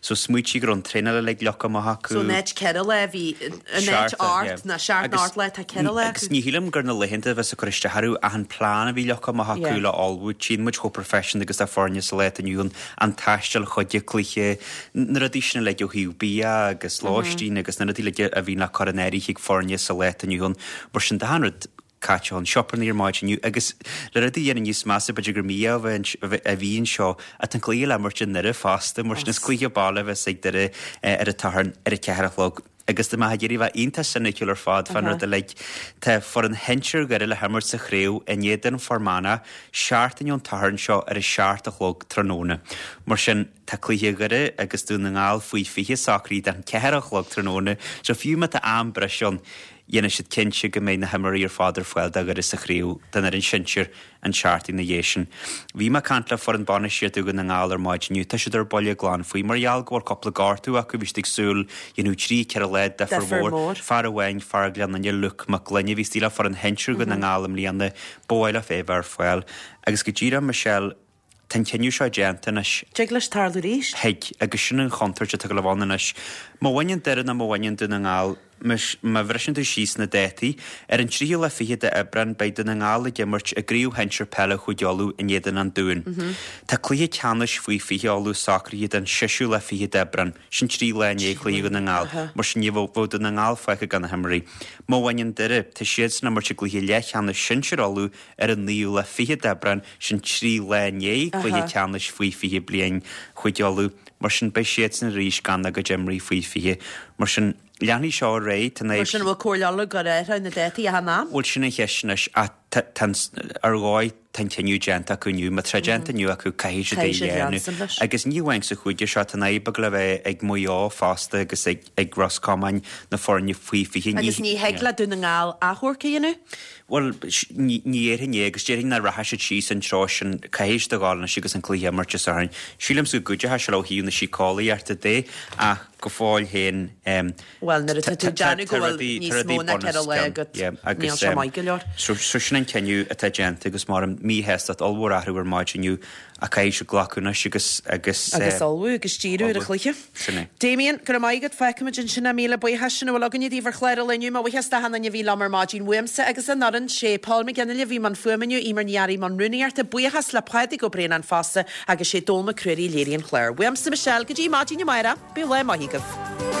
So smaoitigh go raibh an traenáil uilig leagtha amach acu. So in áit 4 lá bhí, in áit ocht nó seacht nó ocht lá tá 4 lá acu. Agus ní shílim gur na laethanta a bheas ag cur isteach orthu ach an plean a bhí leagtha amach acu le ullmhú. Tchíonn muid chomh professional agus atá foirne sa lá atá inniu ann, an taisteal chuig an cluiche, na rudaí sin uilig ó thaobh bia agus lóistín agus na rudaí uilig a bhíonn le cur in áirithe ag foirne sa lá atá inniu ann. Mar sin de achan rud caite chun sioparnaí ar maidin inniu agus le rudaí a dhéanamh níos measa b'fhéidir gur mí-ádh a bhí anseo ach tá an cluiche le imirt i nDoire fosta mar sin is cluiche baile a bheas ag Doire ar an tSatharn ar a ceathair a chlog. Agus tá mé ag iarraidh a bheith iontach soiniciúil ar fad fán rud uilig. Tá foireann shinsir Dhoire le himirt sa chraobh in éadan Fear Manach seachtain ón tSatharn seo ar a seacht a chlog tráthnóna. Mar sin tá cluiche Dhoire agus Dún na nGall faoi 20 socraithe don ceathair a chlog tráthnóna so fiú má tá am breise ann Dhéanfaidh siad cinnte go mbeidh na himreoirí ar fad ar fáil do Dhoire sa chraobh don fhoireann sinsir an tseachtain ina dhiaidh sin. Bhí mé ag caint le foireann bainistíochta Dhún na nGall ar maidin inniu. Tá siad ar buile glan faoi. Mar gheall go bhfuil cúpla gortú acu, bhí siad ag súil dhéanamh trí, ceithre lá difear mhór. Fear amháin, fear Ghleann Fhinne, Luke Mac Gloinn, a bhí istigh le foireann shinsir Dhún na nGall i mbliana, ba mhaith leo é a bheith ar fáil. Agus go díreach, Michelle, Tá an cinneadh seo déanta anois. Dtig leis tarlú arís. Thig, agus sin an chontúirt atá ag gabháil a bheith ann anois. Má bhaineann Doire nó má bhaineann Dún na nGall, má bhriseann tú síos na dátaí, ar an tríú lá fichead de Aibreán beidh Dún na nGall ag imirt i gCraobh Shinsir Peile Chúige Uladh in éadan an Dúin. Tá cluiche ceannais faoi 20 Uladh socraithe don seisiú lá fichead d'Aibreán, sin trí lá i ndiaidh chluiche Dhún na nGall, mar sin ní bheadh Dún na nGall fágtha gan na himreoirí. Má bhaineann Doire, tá siadsan ag imirt i gcluiche leathcheannais sinsir Uladh ar an naoú lá fichead d'Aibreán, sin trí lá i ndiaidh cluiche ceannais faoi 20 bliain Chúige Uladh. Mar sin, beidh siadsan arís gan a gcuid imreoirí faoi 20. Mar sin, leanfaidh seo ar aghaidh, tá an Mar sin, an bhfuil Comhairle Uladh ag gabháil a athrú na dátaí achan am? Bhuel, sin an cheist anois, ach tá an, ar dhóigh, tá an cinneadh déanta acu inniu. Má tá déanta inniu acu, caithfidh siad é a dhéanamh. Agus ní amháin sa chúige seo, tá an fhadhb ag gabháil a bheith ag Maigh Eo fosta agus ag Ros Comáin, na foirne faoi 20. Agus ní thig le Dún na nGall achomharc a dhéanamh? Bhuel, ní dhéarfainn é agus déarfainn nach rachaidh siad síos an treo sin. Caithfidh siad a ghabháil anois agus an cluiche a imirt Dé Sathairn. Sílimse go gcuideoidh sé leo ó thaobh na síceolaíochta de ach go fóill féin Bhuel, nuair atá tú ag déanamh go bhfuil níos mó ná 4 lá agat, níl sé maith go leor. So sin an cinneadh atá déanta agus mar míshástacht ollmhór athrú ar maidin inniu ach caithfidh siad glacadh anois agus agus Agus ullmhú agus díriú ar an chluiche. Sin é. Damien, go raibh maith agat, feicfimid ansin é. Míle buíochas, sin a bhfuil againne daoibh ar chlár an lae inniu. Mo bhuíochas d'achan duine a bhí liom ar maidin uaimse agus an fhoireann, sé Paul McGinley a bhí i mbun fuaime inniu, Eimear Ní Fhearraigh i mbun rúnaíochta, buíochas le Pádraig Ó Braonáin fosta agus sé Dónal Mac Ruairí a léirigh an clár. Uaimse Michelle, go dtí maidin amárach, bíodh lá maith agaibh.